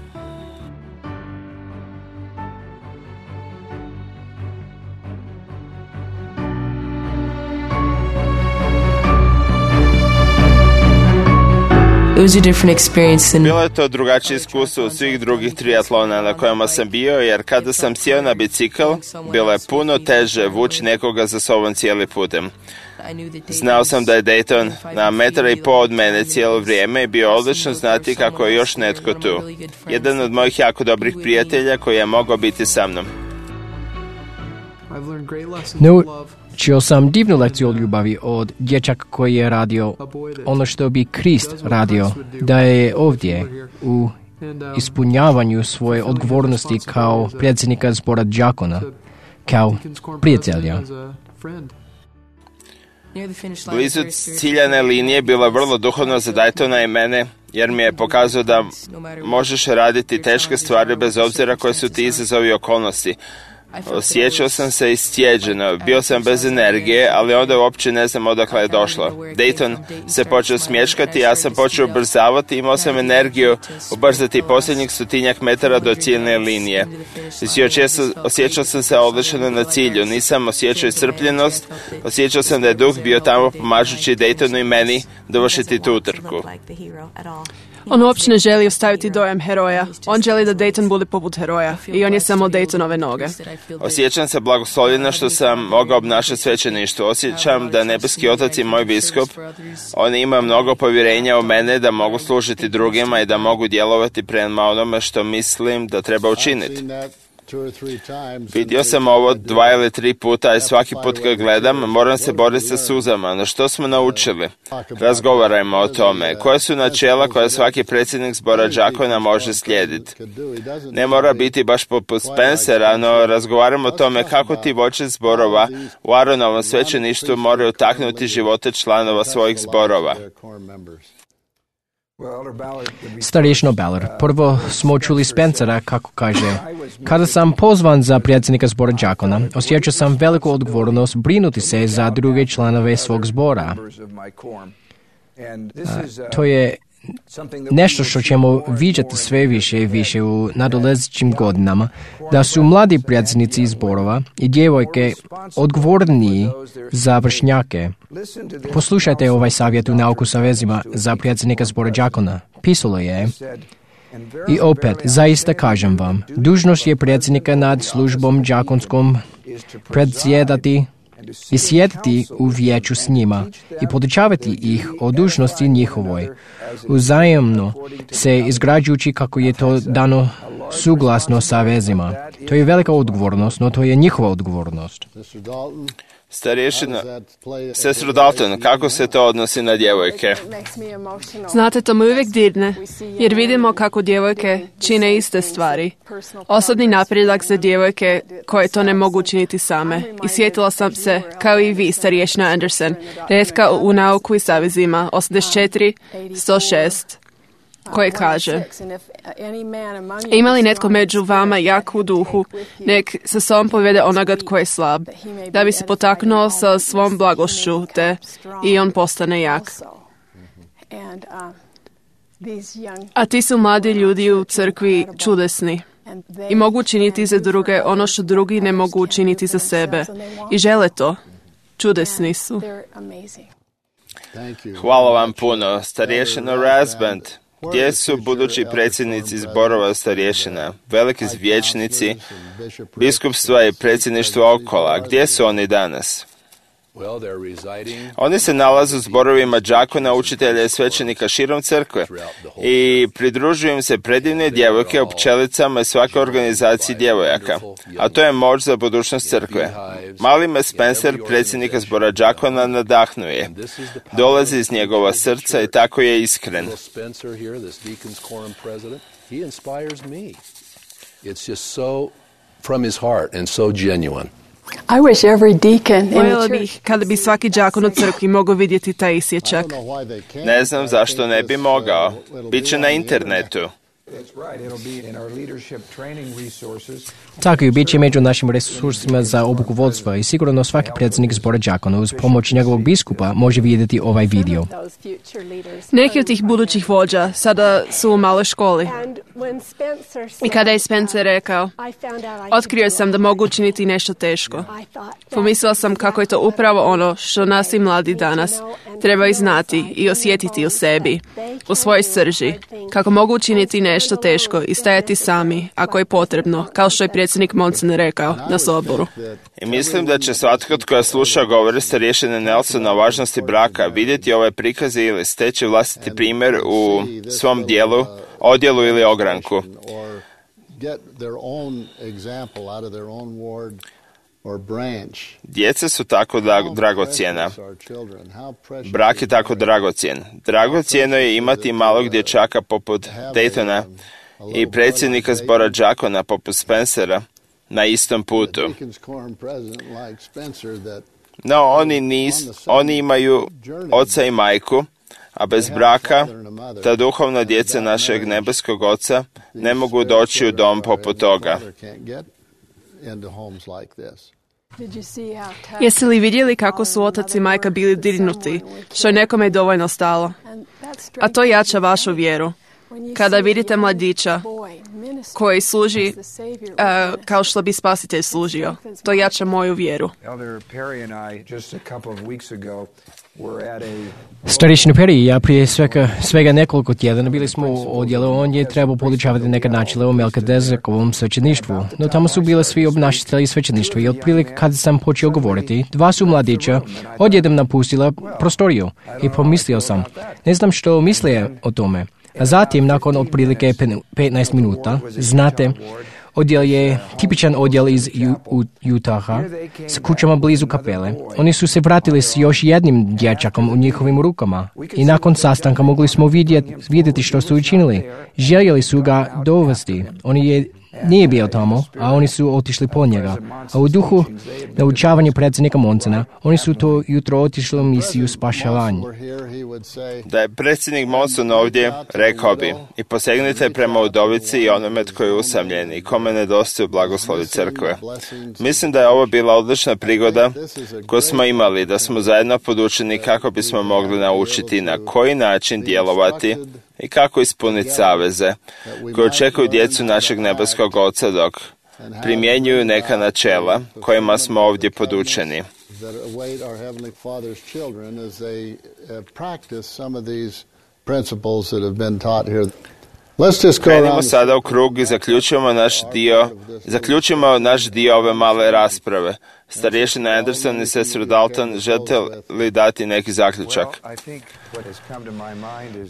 Speaker 1: Bilo je to drugačije iskustvo od svih drugih triatlona na kojima sam bio, jer kada sam sjeo na bicikl, bilo je puno teže vući nekoga za sobom cijeli putem. Znao sam da je Dayton na 1,5 metra od mene cijelo vrijeme i bio odlično znati kako je još netko tu. Jedan od mojih jako dobrih prijatelja koji je mogao biti sa mnom.
Speaker 2: Čio sam divnu lekciju od ljubavi od dječaka koji je radio ono što bi Krist radio, da je ovdje u ispunjavanju svoje odgovornosti kao predsjednika zbora đakona, kao prijatelja.
Speaker 1: Blizu ciljane linije bilo je vrlo duhovno za Daytona i mene, jer mi je pokazao da možeš raditi teške stvari bez obzira koje su ti izazovi okolnosti. Osjećao sam se istjeđeno, bio sam bez energije, ali onda uopće ne znam odakle je došlo. Dayton se počeo smješkati, ja sam počeo ubrzavati, imao sam energiju ubrzati posljednjih 100 metara do ciljne linije. Osjećao sam se odlično na cilju, nisam osjećao iscrpljenost, osjećao sam da je duh bio tamo pomažući Daytonu i meni dovršiti tu utrku.
Speaker 4: On uopće ne želi ostaviti dojam heroja. On želi da Dayton bude poput heroja i on je samo Daytonove noge.
Speaker 1: Osjećam se blagoslovljeno što sam mogao obnašati svećeništvo. Osjećam da nebeski otac i moj biskup, on ima mnogo povjerenja u mene da mogu služiti drugima i da mogu djelovati prema onome što mislim da treba učiniti. Vidio sam ovo 2 ili 3 puta i svaki put kad gledam moram se boriti sa suzama. No što smo naučili? Razgovarajmo o tome. Koja su načela koja svaki predsjednik zbora đakona može slijediti? Ne mora biti baš poput Spencera, no razgovaramo o tome kako ti vođe zborova u Aaronovom svećeništvu moraju taknuti živote članova svojih zborova.
Speaker 2: Starješino Ballard, prvo smo čuli Spencera kako kaže: kada sam pozvan za predsjednika zbora đakona, osjećao sam veliku odgovornost brinuti se za druge članove svog zbora. To je nešto što ćemo viđati sve više i više u nadolazećim godinama, da su mladi predsjednici zborova i djevojke odgovorniji za vršnjake. Poslušajte ovaj savjet u Nauku sa vezima za predsjednika zbora đakona. Pisalo je: i opet, zaista kažem vam, dužnost je predsjednika nad službom đakonskom predsjedati i sjediti u vijeću s njima i podučavati ih o dužnosti njihovoj, uzajamno se izgrađujući kako je to dano suglasno sa vezima. To je velika odgovornost, no to je njihova odgovornost.
Speaker 1: Starješina, sestro Dalton, kako se to odnosi na djevojke?
Speaker 4: Znate, to me uvijek dirne, jer vidimo kako djevojke čine iste stvari. Osobni napredak za djevojke koje to ne mogu učiniti same. I sjetila sam se, kao i vi, starješina Anderson, retka u Nauku i savezima 84-106, koje kaže: ima li netko među vama jak u duhu, nek sa sobom povede onoga tko je slab, da bi se potaknuo sa svom blagošću, te i on postane jak. A ti su mladi ljudi u crkvi čudesni i mogu učiniti za druge ono što drugi ne mogu učiniti za sebe. I žele to. Čudesni su.
Speaker 1: Hvala vam puno. Starješino Rasband, gdje su budući predsjednici zborova starješina, veliki vijećnici, biskupstva i predsjedništvo okola? Gdje su oni danas? Oni se nalaze u zborovima đakona, učitelja i svećenika širom crkve i pridružuju im se predivne djevojke o pčelicama i svakoj organizaciji djevojaka, a to je moć za budućnost crkve. Mali me Spencer, predsjednika zbora đakona, nadahnuje. Dolazi iz njegova srca i tako je iskren.
Speaker 4: Voljela bih kada bi svaki đakon u crkvi mogao vidjeti taj isječak.
Speaker 1: Ne znam zašto ne bi mogao. Biće na internetu.
Speaker 2: Tako i bit će među našim resursima za obuku vodstva i sigurno svaki predsjednik zbora đakona uz pomoć njegovog biskupa može vidjeti ovaj video.
Speaker 4: Neki od tih budućih vođa sada su u maloj školi. I kada je Spencer rekao, otkrio sam da mogu učiniti nešto teško. Pomislila sam kako je to upravo ono što nas i mladi danas trebaju znati i osjetiti u sebi, u svojoj srži, kako mogu učiniti nešto teško i stajati sami, ako je potrebno, kao što je predsjednik Monson rekao na soboru.
Speaker 1: I mislim da će svatko tko sluša govore starješine Nelsona o važnosti braka vidjeti ove prikaze ili steći vlastiti primjer u svom odjelu ili ogranku. Djeca su tako dragocjena. Brak je tako dragocjen. Dragocjeno je imati malog dječaka poput Daytona i predsjednika zbora đakona poput Spencera na istom putu. No, oni imaju oca i majku, a bez braka ta duhovna djeca našeg nebeskog oca ne mogu doći u dom poput toga.
Speaker 4: Jeste li vidjeli kako su otac i majka bili dirnuti, što je nekome dovoljno stalo? A to jača vašu vjeru. Kada vidite mladića koji služi kao što bi spasitelj služio, to jača moju vjeru.
Speaker 2: Starješina Perry i ja prije svega nekoliko tjedana bili smo u odjelu, on je trebao podučavati neka načela o Melkizedekovom svećeništvu, no tamo su bile svi obnašatelji svećeništva i otprilike kada sam počeo govoriti, dva su mladića odjednom napustila prostoriju i pomislio sam, ne znam što misle o tome. A zatim, nakon otprilike 15 minuta, znate, odjel je tipičan odjel iz Utaha s kućama blizu kapele. Oni su se vratili s još jednim dječakom u njihovim rukama i nakon sastanka mogli smo vidjeti što su učinili. Željeli su ga dovesti. Nije bio tamo, a oni su otišli po njega. A u duhu naučavanja predsjednika Monsona, oni su to jutro otišli u misiju spašavanja.
Speaker 1: Da je predsjednik Monson ovdje, rekao bi, i posegnite prema udovici i onome tko je usamljen i kome nedostaju blagoslovi crkve. Mislim da je ovo bila odlična prigoda koju smo imali, da smo zajedno podučeni kako bismo mogli naučiti na koji način djelovati i kako ispuniti saveze koje očekuju djecu našeg nebeskog Oca dok primjenjuju neka načela kojima smo ovdje podučeni. Krenimo sada u krug i zaključimo naš dio ove male rasprave. Starješina Anderson i sestra Dalton, želite li dati neki zaključak?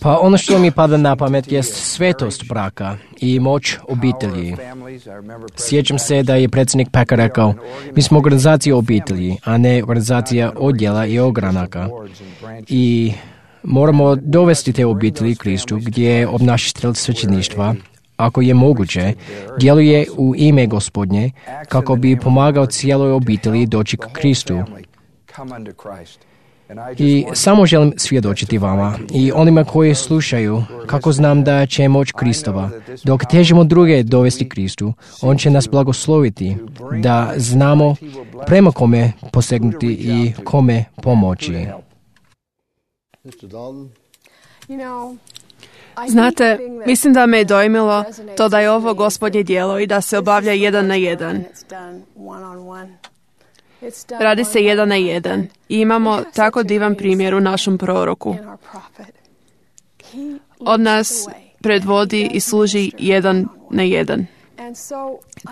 Speaker 2: Pa ono što mi pada na pamet je svetost braka i moć obitelji. Sjećam se da je predsjednik Packer rekao, mi smo organizacija obitelji, a ne organizacija odjela i ogranaka. I moramo dovesti te obitelji Kristu gdje obnašatelj svećeništva, ako je moguće, djeluje u ime Gospodnje kako bi pomagao cijeloj obitelji doći k Kristu. I samo želim svjedočiti vama i onima koji slušaju kako znam da će moć Kristova. Dok težimo druge dovesti Kristu, on će nas blagosloviti da znamo prema kome posegnuti i kome pomoći.
Speaker 4: Znate, mislim da me je dojmilo to da je ovo Gospodnje djelo i da se obavlja 1 na 1. Radi se 1 na 1 i imamo tako divan primjer u našem proroku. Od nas predvodi i služi 1 na 1.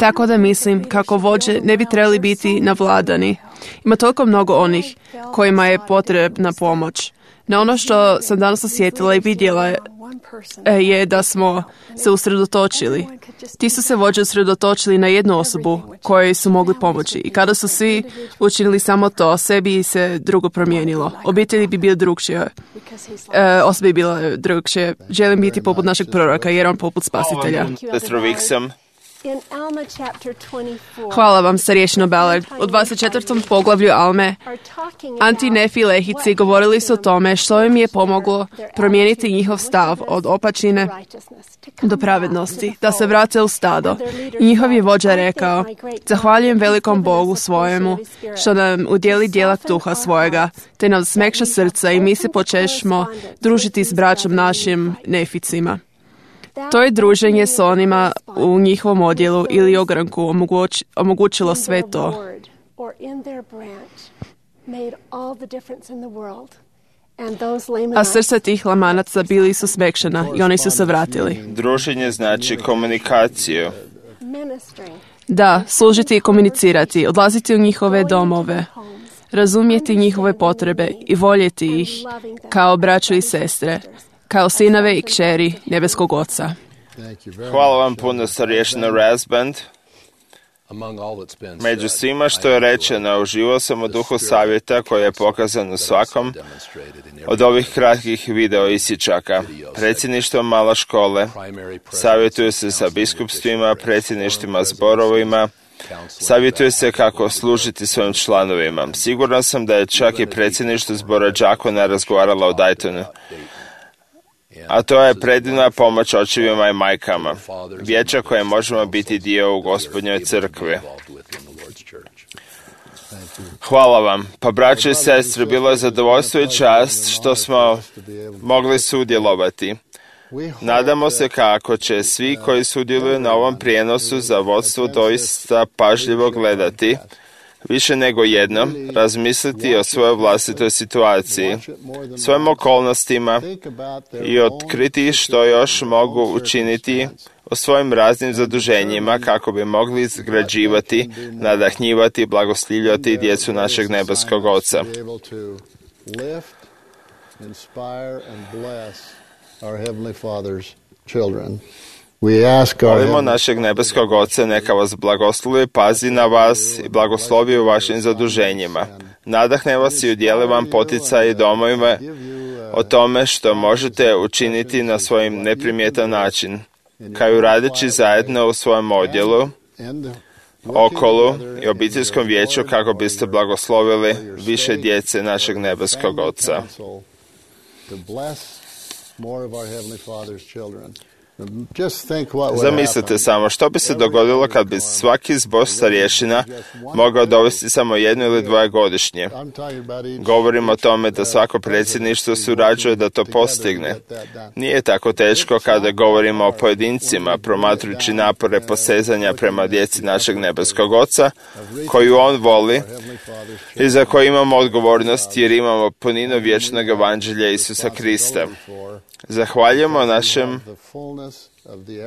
Speaker 4: Tako da mislim kako vođe ne bi trebali biti navladani. Ima toliko mnogo onih kojima je potrebna pomoć. No ono što sam danas osjetila i vidjela je da smo se usredotočili. Ti su se vođe usredotočili na jednu osobu kojoj su mogli pomoći. I kada su svi učinili samo to, sve bi se drugo promijenilo. Obitelji bi bile drugčije. Osobe bi bile drugčije. Želim biti poput našeg proroka jer on poput spasitelja. Hvala vam, starješino Ballard. U 24. poglavlju Alme Antinefi Lehici govorili su o tome što im je pomoglo promijeniti njihov stav od opačine do pravednosti, da se vrate u stado. I njihov je vođa rekao, zahvaljujem velikom Bogu svojemu što nam udjeli djelak duha svojega, te nam smekša srca i mi se počešmo družiti s braćom našim neficima. To je druženje s onima u njihovom odjelu ili ogranku omogućilo sve to. A srca tih lamanaca bili su smekšana i oni su se vratili.
Speaker 1: Druženje znači komunikaciju.
Speaker 4: Da, služiti i komunicirati, odlaziti u njihove domove, razumjeti njihove potrebe i voljeti ih kao braću i sestre, kao sinove i kćeri nebeskog Oca.
Speaker 1: Hvala vam puno, starješina Rasband. Među svima što je rečeno, uživao sam u duhu savjeta koji je pokazan u svakom od ovih kratkih video isječaka. Predsjedništvo mala škole savjetuju se sa biskupstvima, predsjedništvima zborovima, savjetuje se kako služiti svojim članovima. Siguran sam da je čak i predsjedništvo zbora đakona razgovaralo o Daytonu. A to je predivna pomoć očevima i majkama, vijeća koje možemo biti dio u Gospodnjoj crkvi. Hvala vam. Pa braće i sestre, bilo je zadovoljstvo i čast što smo mogli sudjelovati. Nadamo se kako će svi koji sudjeluju na ovom prijenosu za vodstvo doista pažljivo gledati, više nego jednom razmisliti o svojoj vlastitoj situaciji, svojim okolnostima i otkriti što još mogu učiniti o svojim raznim zaduženjima kako bi mogli izgrađivati, nadahnjivati i blagoslivljati djecu našeg nebeskog Oca. Molimo našeg nebeskog Oca, neka vas blagoslovi, pazi na vas i blagoslovi u vašim zaduženjima. Nadahne vas i udijeli vam poticaj i domovima o tome što možete učiniti na svojim neprimjetan način, kao radeći zajedno u svojem odjelu, okolu i obiteljskom vijeću kako biste blagoslovili više djece našeg nebeskog Oca. Zamislite samo što bi se dogodilo kad bi svaki zbor starješina mogao dovesti samo 1 ili 2 godišnje. Govorim o tome da svako predsjedništvo surađuje da to postigne. Nije tako teško kada govorimo o pojedincima, promatrujući napore posezanja prema djeci našeg nebeskog Oca, koju on voli i za koju imamo odgovornost jer imamo puninu vječnog evanđelja Isusa Krista. Zahvaljujemo našem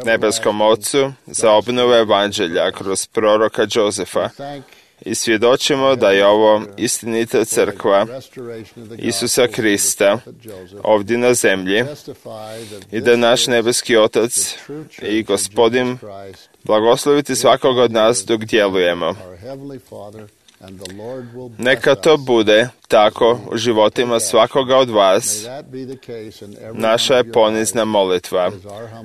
Speaker 1: nebeskom Ocu za obnovu evanđelja kroz proroka Jozefa i svjedočimo da je ovo istinita crkva Isusa Krista ovdje na zemlji i da naš nebeski Otac i Gospodin blagosloviti svakog od nas dok djelujemo. Neka to bude tako u životima svakoga od vas. Naša je ponizna molitva.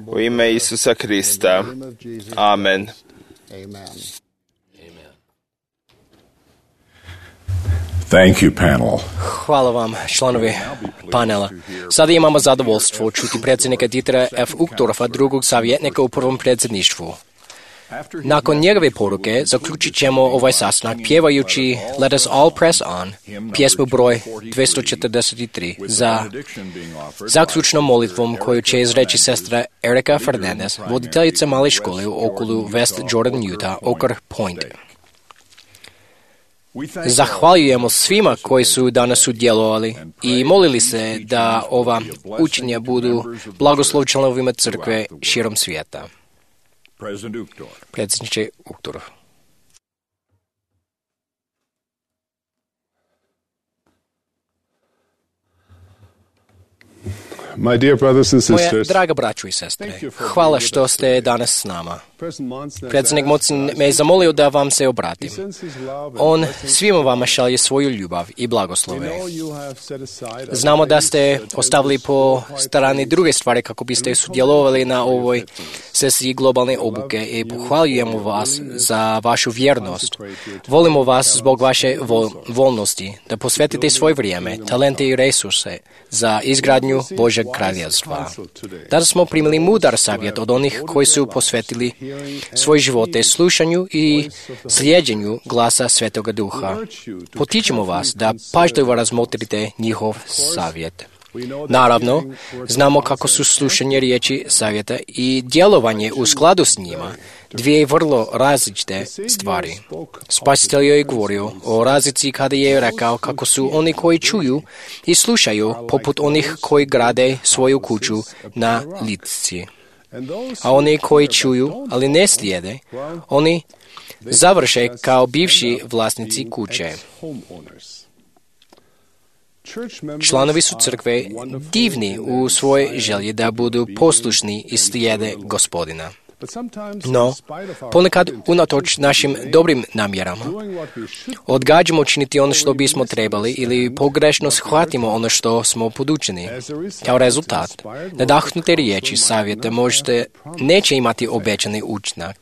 Speaker 1: U ime Isusa Krista. Amen.
Speaker 5: Thank you, panel.
Speaker 2: Hvala vam, članovi panela. Sada imamo zadovoljstvo čuti predsjednika Dietera F. Uchtdorfa, drugog savjetnika u prvom predsjedništvu. Nakon njegove poruke zaključit ćemo ovaj sastanak pjevajući Let Us All Press On, pjesmu broj 243, za zaključnom molitvom koju će izreći sestra Erika Fernandez, voditeljica male škole u okolu West Jordan, Utah, Oak Point. Zahvaljujemo svima koji su danas sudjelovali i molili se da ova učenja budu blagoslov članovima crkve širom svijeta. Predsjedniče Uchtdorf. Moja draga braćo i sestre, hvala što ste danas s nama. Predsjednik Mocin me je zamolio da vam se obratim. On svima vama šalje svoju ljubav i blagoslove. Znamo da ste ostavili po strani druge stvari kako biste sudjelovali na ovoj sesiji globalne obuke i pohvaljujemo vas za vašu vjernost. Volimo vas zbog vaše voljnosti da posvetite svoje vrijeme, talente i resurse za izgradnju Božeg kraljevstva. Danas smo primili mudar savjet od onih koji su posvetili svoje živote slušanju i slijeđenju glasa Svetoga Duha. Potičemo vas da pažljivo razmotrite njihov savjet. Naravno, znamo kako su slušanje riječi savjeta i djelovanje u skladu s njima dvije vrlo različite stvari. Spasitelj je govorio o razlici kada je rekao kako su oni koji čuju i slušaju poput onih koji grade svoju kuću na litci. A oni koji čuju, ali ne slijede, oni završe kao bivši vlasnici kuće. Članovi su crkve divni u svojoj želji da budu poslušni i slijede Gospodina. No, ponekad unatoč našim dobrim namjerama odgađamo činiti ono što bismo trebali ili pogrešno shvatimo ono što smo podučeni. Kao rezultat, nadahnute riječi savjeta možda neće imati obećani učinak.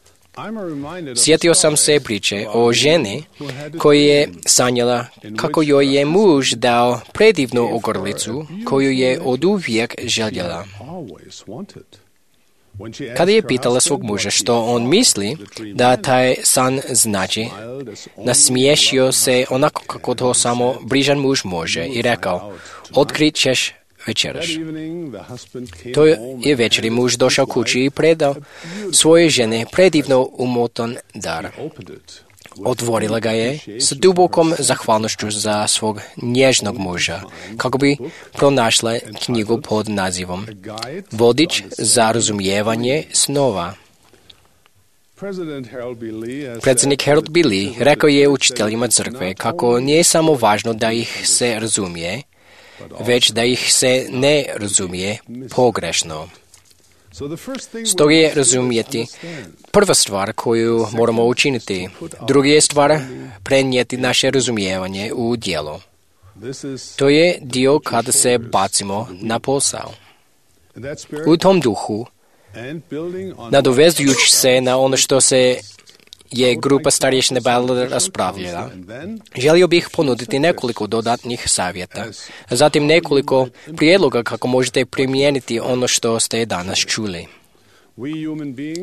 Speaker 2: Sjetio sam se priče o ženi koja je sanjala kako joj je muž dao predivnu ogrlicu koju je oduvijek željela. Kada je pitala svog muža što on misli da taj san znači, nasmiješio se onako kako to samo brižan muž može i rekao, otkrit ćeš večeraš. To je večeri muž došao kući i predao svoje žene predivno umotan dar. Otvorila ga je s dubokom zahvalnošću za svog nježnog muža, kako bi pronašla knjigu pod nazivom Vodič za razumijevanje snova. Predsjednik Harold B. Lee rekao je učiteljima crkve kako nije samo važno da ih se razumije, već da ih se ne razumije pogrešno. Stoga je razumjeti prva stvar koju moramo učiniti. Druga je stvar prenijeti naše razumijevanje u djelo. To je dio kada se bacimo na posao. U tom duhu, nadovezujući se na ono što se je grupa starješine Ballard raspravljala, želio bih ponuditi nekoliko dodatnih savjeta, a zatim nekoliko prijedloga kako možete primijeniti ono što ste danas čuli.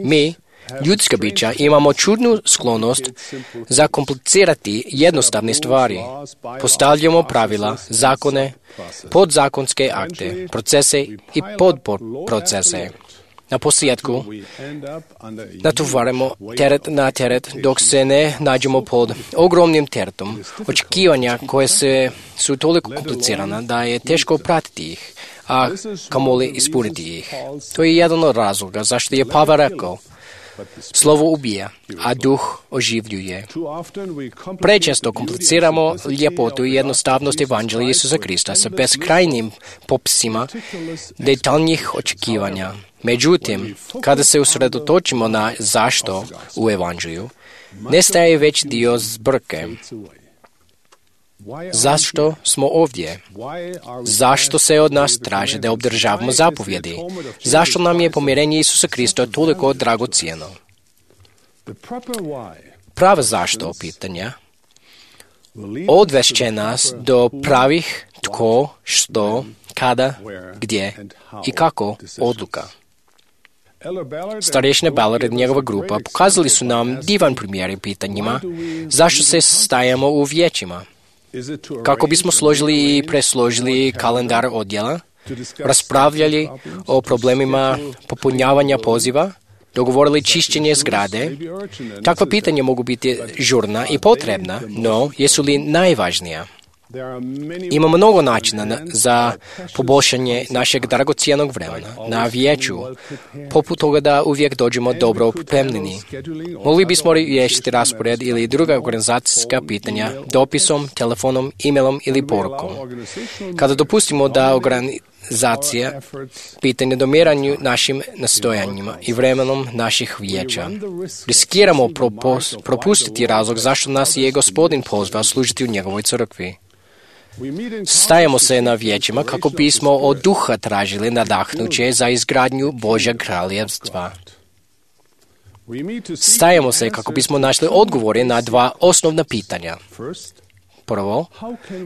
Speaker 2: Mi, ljudska bića, imamo čudnu sklonost zakomplicirati jednostavne stvari. Postavljamo pravila, zakone, podzakonske akte, procese i podprocese. Na posljedku natovarimo teret na teret dok se ne nađemo pod ogromnim teretom. Očekivanja koje su toliko komplicirana da je teško pratiti ih, a kamoli ispuniti ih. To je jedan od razloga zašto je Pavel rekao, slovo ubija, a duh oživljuje. Prečesto kompliciramo ljepotu i jednostavnost evanđelja Isusa Krista sa beskrajnim popisima detaljnih očekivanja. Međutim, kada se usredotočimo na zašto u evanđelju, nestaje već dio zbrke. Zašto smo ovdje? Zašto se od nas traži da obdržavamo zapovjedi? Zašto nam je pomirenje Isusa Krista toliko dragocjeno? Prava zašto pitanja odvest će nas do pravih tko, što, kada, gdje i kako odluka. Starješina Ballard i njegova grupa pokazali su nam divan primjer pitanjima zašto se stajemo u vijećima. Kako bismo složili i presložili kalendar odjela, raspravljali o problemima popunjavanja poziva, dogovorili čišćenje zgrade. Takva pitanja mogu biti žurna i potrebna, no jesu li najvažnija? Ima mnogo načina za poboljšanje našeg dragocjenog vremena na vijeću, poput toga da uvijek dođemo dobro pripremljeni. Mogli bismo riješiti raspored ili druga organizacijska pitanja dopisom, telefonom, e-mailom ili porukom. Kada dopustimo da organizacija pitanje domiranju našim nastojanjima i vremenom naših vijeća, riskiramo propustiti razlog zašto nas je Gospodin pozvao služiti u njegovoj crkvi. Stajemo se na vijećima kako bismo od duha tražili nadahnuće za izgradnju Božjeg kraljevstva. Stajemo se kako bismo našli odgovore na dva osnovna pitanja. Prvo,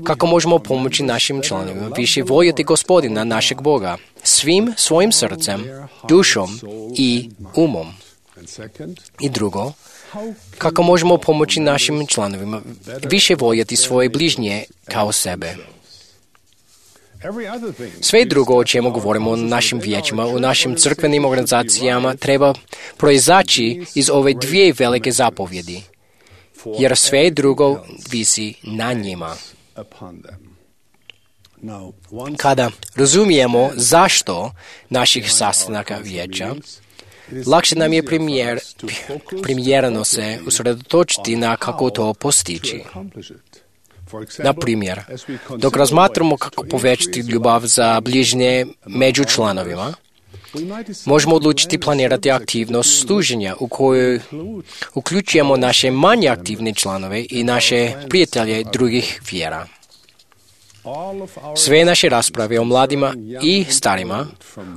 Speaker 2: kako možemo pomoći našim članovima više voljeti Gospodina, našeg Boga, svim svojim srcem, dušom i umom. I drugo, kako možemo pomoći našim članovima više voljeti svoje bližnje kao sebe. Sve drugo o čemu govorimo u našim vijećima, u našim crkvenim organizacijama, treba proizaći iz ove dvije velike zapovjedi, jer sve drugo visi na njima. Kada razumijemo zašto naših sastanaka vijeća, lakše nam je primjereno se usredotočiti na kako to postići. Na primjer, dok razmatramo kako povećati ljubav za bližnje među članovima, možemo odlučiti planirati aktivnost služenja u kojoj uključujemo naše manje aktivne članove i naše prijatelje drugih vjera. Sve naše rasprave o mladima i starima,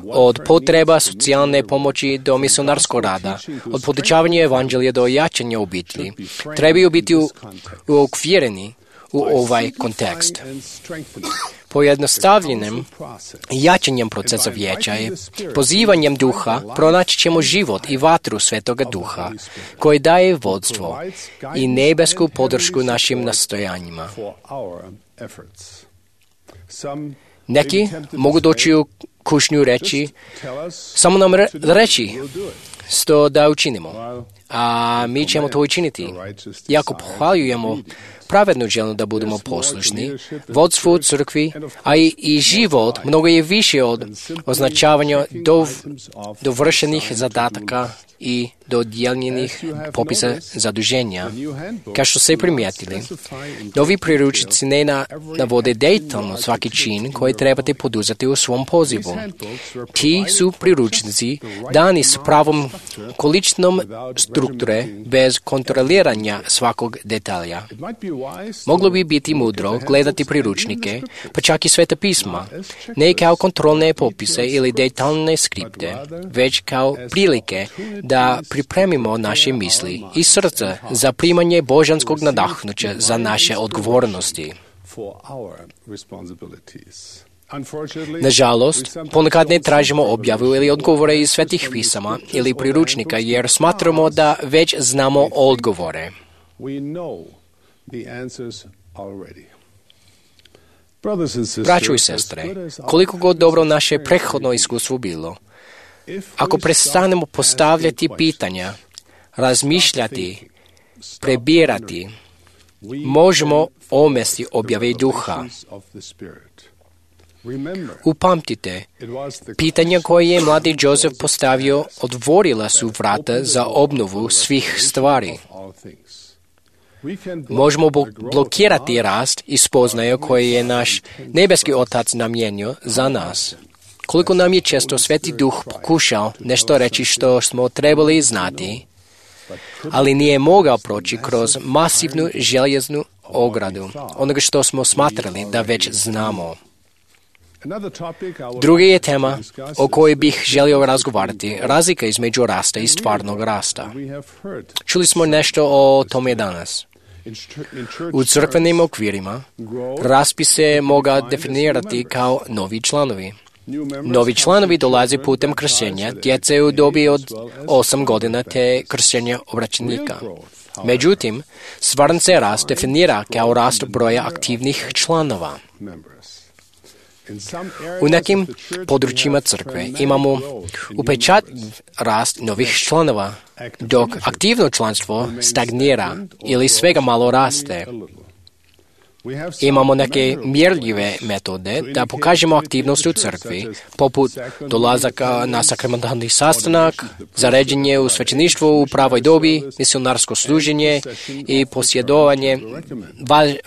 Speaker 2: od potreba socijalne pomoći do misionarskog rada, od podučavanja evanđelja do jačanja obitelji, trebaju biti uokvireni u ovaj kontekst. Pojednostavljenim jačanjem procesa vijeća i pozivanjem duha pronaći ćemo život i vatru Svetoga Duha, koji daje vodstvo i nebesku podršku našim nastojanjima. Neki mogu doći u kušnju reći, samo nam reći što da učinimo, a mi ćemo to učiniti. Iako pohvaljujemo pravednu želju da budemo poslušni, vodstvu crkvi, a i život mnogo je više od označavanja dovršenih zadataka i dodijeljenih popisa zaduženja. Kao što ste primijetili, novi priručnici ne navode detaljno svaki čin koji trebate poduzeti u svom pozivu. Ti su priručnici dani s pravom količinom strukture bez kontroliranja svakog detalja. Moglo bi biti mudro gledati priručnike, pa čak i Sveta pisma, ne kao kontrolne popise ili detaljne skripte, već kao prilike da pripremimo naše misli i srce za primanje božanskog nadahnuća za naše odgovornosti. Nažalost, ponekad ne tražimo objavu ili odgovore iz Svetih pisama ili priručnika jer smatramo da već znamo odgovore. Braćo i sestre, koliko god dobro naše prethodno iskustvo bilo, ako prestanemo postavljati pitanja, razmišljati, prebirati, možemo omesti objave duha. Upamtite, pitanja koje je mladi Josef postavio otvorila su vrata za obnovu svih stvari. Možemo blokirati rast i spoznaju koje je naš nebeski Otac namijenio za nas. Koliko nam je često Sveti Duh pokušao nešto reći što smo trebali znati, ali nije mogao proći kroz masivnu željeznu ogradu onoga što smo smatrali da već znamo. Druga je tema o kojoj bih želio razgovarati, razlika između rasta i stvarnog rasta. Čuli smo nešto o tome danas. U crkvenim okvirima rast bi se mogao definirati kao novi članovi. Novi članovi dolaze putem krštenja djece u dobi od 8 godina te krštenja obraćenika. Međutim, stvaran se rast definira kao rast broja aktivnih članova. U nekim područjima crkve imamo upečatljiv rast novih članova, dok aktivno članstvo stagnira ili svega malo raste. Imamo neke mjerljive metode da pokažemo aktivnost u crkvi, poput dolazaka na sakramentalni sastanak, zaređenje u svećeništvu u pravoj dobi, misionarsko služenje i posjedovanje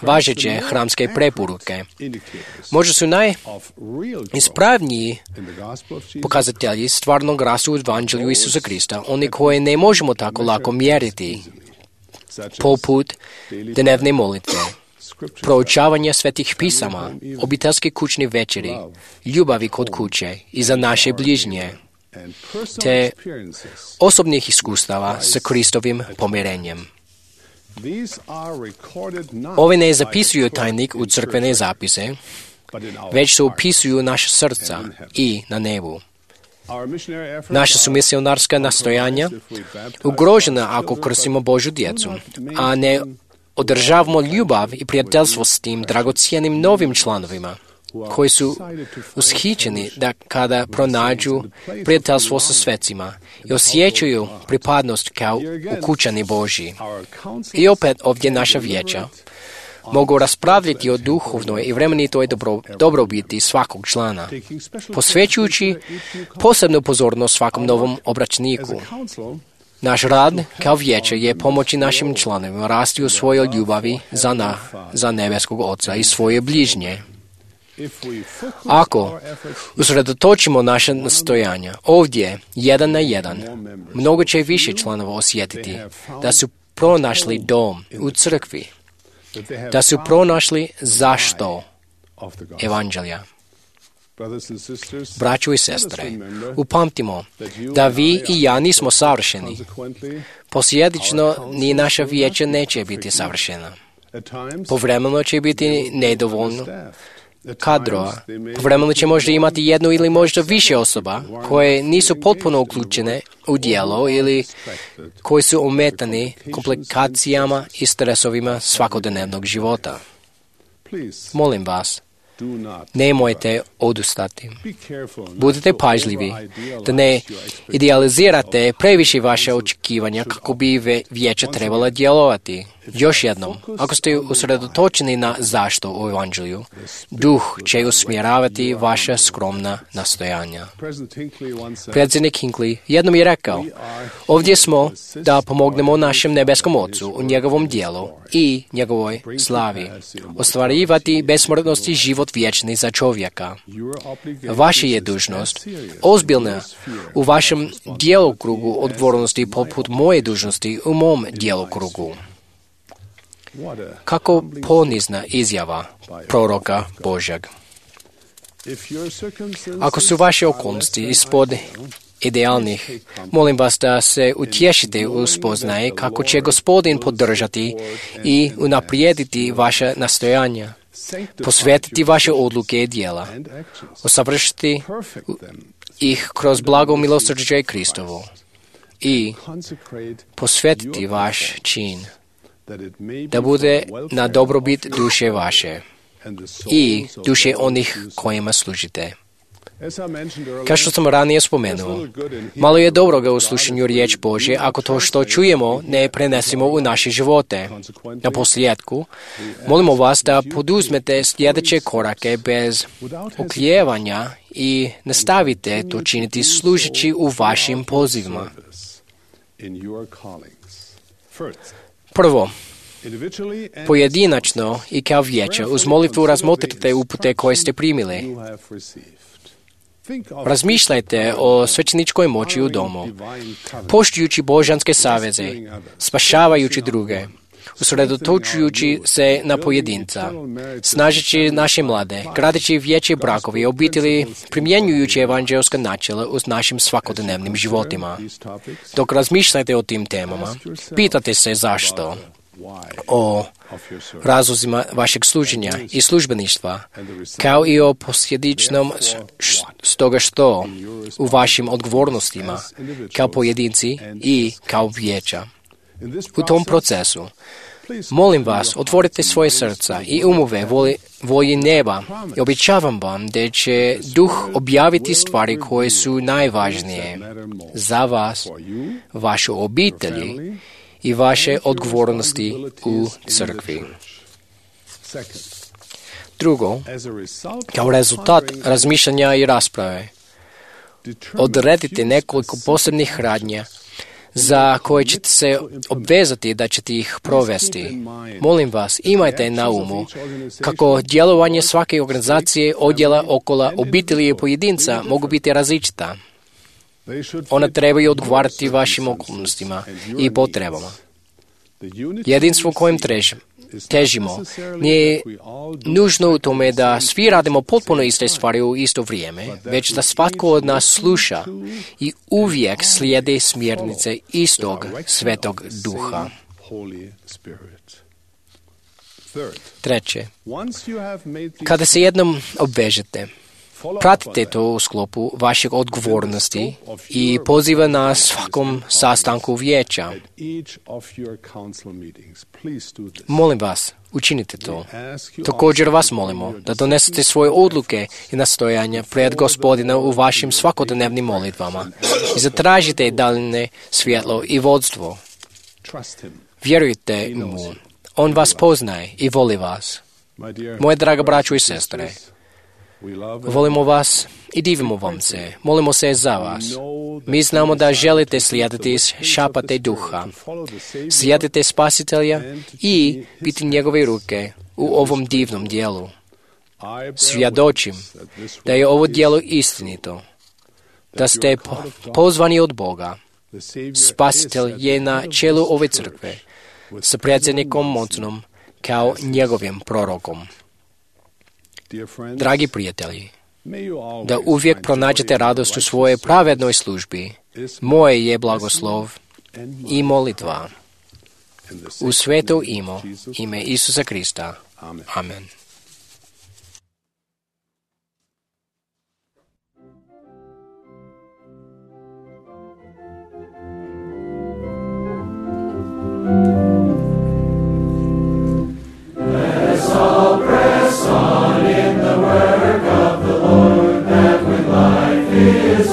Speaker 2: važeće hramske preporuke. Možda su najispravniji pokazatelji stvarnog rasta u evanđelju Isusa Krista, oni koje ne možemo tako lako mjeriti, poput dnevne molitve, proučavanje svetih pisama, obiteljske kućne večeri, ljubavi kod kuće i za naše bližnje, te osobnih iskustava sa Kristovim pomirenjem. Ove ne zapisuju tajnik u crkvene zapise, već se upisuju naša srca i na nebu. Naša su misionarska nastojanja ugrožena ako krstimo Božju djecu, a ne održavamo ljubav i prijateljstvo s tim dragocijenim novim članovima, koji su ushićeni da kada pronađu prijateljstvo sa svecima i osjećaju pripadnost kao ukućani Božji. I opet ovdje naša vijeća mogu raspravljati o duhovnoj i vremenitoj dobrobiti svakog člana, posvećujući posebnu pozornost svakom novom obraćeniku. Naš rad kao vijeće je pomoći našim članovima rasti u svojoj ljubavi za nebeskog Oca i svoje bližnje. Ako usredotočimo naše nastojanja ovdje, 1 na 1, mnogo će više članova osjetiti da su pronašli dom u crkvi, da su pronašli zašto evanđelja. Braćo i sestre, upamtimo da vi i ja nismo savršeni. Posljedično, ni naša vijeća neće biti savršena. Povremeno će biti nedovoljno kadrova. Povremeno će možda imati jednu ili možda više osoba koje nisu potpuno uključene u djelo ili koji su ometani komplikacijama i stresovima svakodnevnog života. Molim vas, nemojte odustati. Budite pažljivi da ne idealizirate previše vaše očekivanja kako bi vijeća trebala djelovati. Još jednom, ako ste usredotočeni na zašto u evanđelju, Duh će usmjeravati vaša skromna nastojanja. Predsjednik Hinckley jednom je rekao, ovdje smo da pomognemo našem nebeskom Ocu u njegovom dijelu i njegovoj slavi, ostvarivati besmrtnost i život vječni za čovjeka. Vaša je dužnost ozbiljna u vašem djelokrugu odgovornosti poput moje dužnosti u mom djelokrugu. Kako ponizna izjava proroka Božjeg. Ako su vaše okolnosti ispod idealnih, molim vas da se utješite u spoznaje kako će Gospodin podržati i unaprijediti vaše nastojanja, posvetiti vaše odluke i djela, usavršiti ih kroz blago milosrđe Kristovo i posvetiti vaš čin, da bude na dobrobit duše vaše i duše onih kojima služite. Kao što sam ranije spomenuo, malo je dobroga u slušanju riječ Božje ako to što čujemo ne prenesemo u naše živote. Na posljedku, molimo vas da poduzmete sljedeće korake bez oklijevanja i nastavite to činiti služeći u vašim pozivima. Prvo, pojedinačno i kao vijeće uz molitvu razmotrite upute koje ste primili. Razmišljajte o svećeničkoj moći u domu, poštujući božanske saveze, spašavajući druge, usredotočujući se na pojedinca, snažeći naše mlade, gradeći vijeće brakovi, obitelji, primjenjujući evanđelska načela u našim svakodnevnim životima. Dok razmišljate o tim temama, pitate se zašto, o razlozima vašeg služenja i službeništva, kao i o posljedičnom stoga što u vašim odgovornostima kao pojedinci i kao vijeća. U tom procesu, molim vas, otvorite svoje srca i umove volji neba i obećavam vam da će Duh objaviti stvari koje su najvažnije za vas, vašu obitelji i vaše odgovornosti u crkvi. Drugo, kao rezultat razmišljanja i rasprave, odredite nekoliko posebnih radnja za koje ćete se obvezati da ćete ih provesti. Molim vas, imajte na umu kako djelovanje svake organizacije, odjela, okolo, obitelji i pojedinca mogu biti različita. Ona trebaju odgovarati vašim okolnostima i potrebama. Jedinstvo kojem težimo nije nužno u tome da svi radimo potpuno iste stvari u isto vrijeme, već da svatko od nas sluša i uvijek slijedi smjernice istog Svetog Duha. Treće, kada se jednom obvežete, pratite to u sklopu vaših odgovornosti i poziva na svakom sastanku vijeća. Molim vas, učinite to. Također vas molimo da donesete svoje odluke i nastojanja pred Gospodina u vašim svakodnevnim molitvama i zatražite daljnje svjetlo i vodstvo. Vjerujte mu, on vas poznaje i voli vas. Moje draga braćo i sestre, volimo vas i divimo vam se. Molimo se za vas. Mi znamo da želite slijediti šapate Duha, slijedite Spasitelja i biti njegove ruke u ovom divnom dijelu. Svjedočim da je ovo dijelo istinito, da ste pozvani od Boga. Spasitelj je na čelu ove crkve, sa predsjednikom Monsonom kao njegovim prorokom. Dragi prijatelji, da uvijek pronađete radost u svojoj pravednoj službi. Moje je blagoslov i molitva. U sveto ime Isusa Krista. Amen.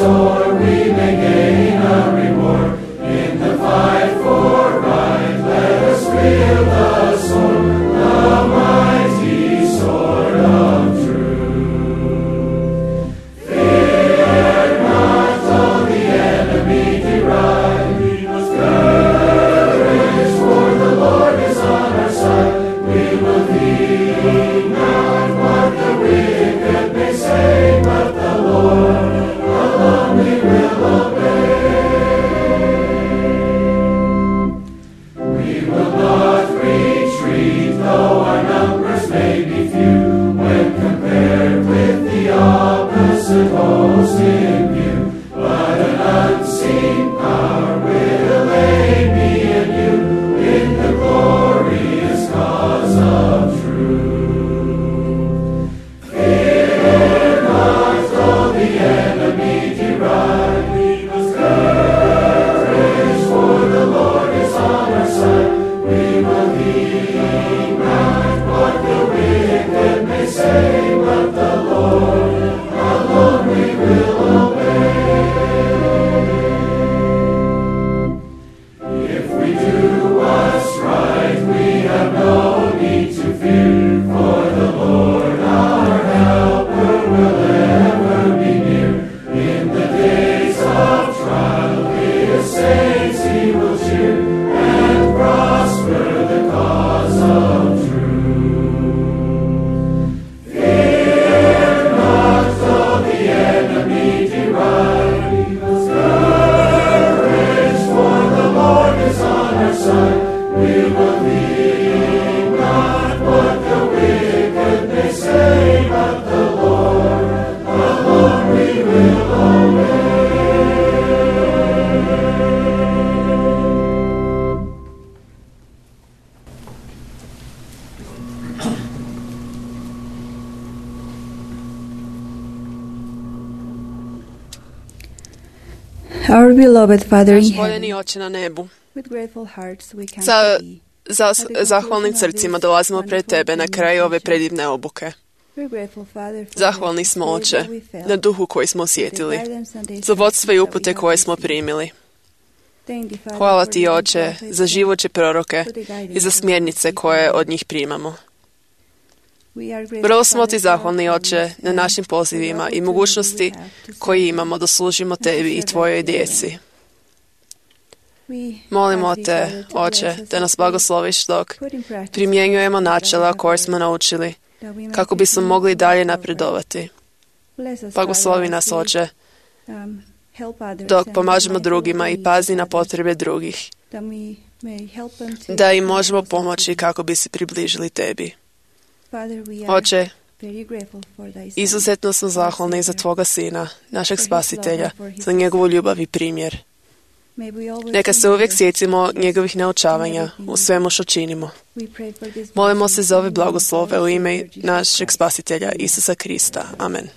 Speaker 8: Or we may gain a reward in the fight for right. Let us wield the sword, the mighty
Speaker 9: Our beloved Father in
Speaker 4: Naš
Speaker 9: heaven,
Speaker 4: voljeni Oče na nebu,
Speaker 9: with grateful hearts we come
Speaker 4: sa
Speaker 9: to thee.
Speaker 4: zahvalnim srcima dolazimo pred Tebe na kraju ove predivne obuke.
Speaker 9: We're grateful, Father, for
Speaker 4: Zahvalni smo,
Speaker 9: the
Speaker 4: Oče,
Speaker 9: spirit that we felt,
Speaker 4: na duhu koji smo
Speaker 9: the
Speaker 4: osjetili,
Speaker 9: guidance and the
Speaker 4: za vodstvo i
Speaker 9: instructions
Speaker 4: upute
Speaker 9: that we
Speaker 4: koje
Speaker 9: have
Speaker 4: smo
Speaker 9: received.
Speaker 4: primili.
Speaker 9: Thank thee, Father,
Speaker 4: Hvala
Speaker 9: for
Speaker 4: Ti,
Speaker 9: the
Speaker 4: Oče,
Speaker 9: prophets
Speaker 4: za živuće proroke
Speaker 9: for the guidance
Speaker 4: i za
Speaker 9: that we
Speaker 4: smjernice
Speaker 9: receive.
Speaker 4: koje od njih primamo.
Speaker 9: We are grateful,
Speaker 4: Vrlo smo Ti
Speaker 9: Father, for our
Speaker 4: zahvalni, Oče,
Speaker 9: friends
Speaker 4: na
Speaker 9: and
Speaker 4: našim
Speaker 9: for the
Speaker 4: pozivima i
Speaker 9: opportunity
Speaker 4: mogućnosti
Speaker 9: we have to
Speaker 4: koji
Speaker 9: serve
Speaker 4: imamo da služimo
Speaker 9: to
Speaker 4: Tebi i
Speaker 9: serve
Speaker 4: Tvojoj
Speaker 9: Thy
Speaker 4: djeci.
Speaker 9: children. We
Speaker 4: Molimo
Speaker 9: ask thee,
Speaker 4: Te,
Speaker 9: Father, to
Speaker 4: Oče,
Speaker 9: bless us
Speaker 4: da nas
Speaker 9: as we
Speaker 4: blagosloviš dok
Speaker 9: put in practice
Speaker 4: primjenjujemo
Speaker 9: the things that we
Speaker 4: načela
Speaker 9: have
Speaker 4: koje
Speaker 9: heard,
Speaker 4: smo naučili,
Speaker 9: that we may
Speaker 4: kako bismo
Speaker 9: continue
Speaker 4: mogli
Speaker 9: to
Speaker 4: dalje
Speaker 9: move forward.
Speaker 4: napredovati.
Speaker 9: Bless us,
Speaker 4: Blagoslovi
Speaker 9: Father,
Speaker 4: nas,
Speaker 9: as we,
Speaker 4: Oče,
Speaker 9: help others
Speaker 4: dok
Speaker 9: and
Speaker 4: pomažemo
Speaker 9: mindful
Speaker 4: drugima
Speaker 9: of the
Speaker 4: i
Speaker 9: needs
Speaker 4: pazi
Speaker 9: of
Speaker 4: na
Speaker 9: others,
Speaker 4: potrebe drugih,
Speaker 9: that we may help them to
Speaker 4: da im
Speaker 9: come
Speaker 4: možemo
Speaker 9: closer to
Speaker 4: pomoći
Speaker 9: thee.
Speaker 4: kako bi se približili Tebi.
Speaker 9: Father, we are
Speaker 4: Oče,
Speaker 9: very grateful for thy son,
Speaker 4: izuzetno smo
Speaker 9: our
Speaker 4: zahvalni za
Speaker 9: Savior.
Speaker 4: Tvoga Sina, našeg
Speaker 9: For his
Speaker 4: Spasitelja,
Speaker 9: love and for his
Speaker 4: za njegovu ljubav i primjer.
Speaker 9: May we always
Speaker 4: Neka se uvijek
Speaker 9: remember
Speaker 4: sjetimo
Speaker 9: his
Speaker 4: njegovih naučavanja
Speaker 9: in
Speaker 4: u svemu što činimo.
Speaker 9: We pray for this
Speaker 4: Molimo
Speaker 9: blessing
Speaker 4: se za ove
Speaker 9: in the name of
Speaker 4: blagoslove
Speaker 9: our
Speaker 4: u ime
Speaker 9: Savior Jesus
Speaker 4: našeg
Speaker 9: Christ.
Speaker 4: Spasitelja Isusa Krista. Amen.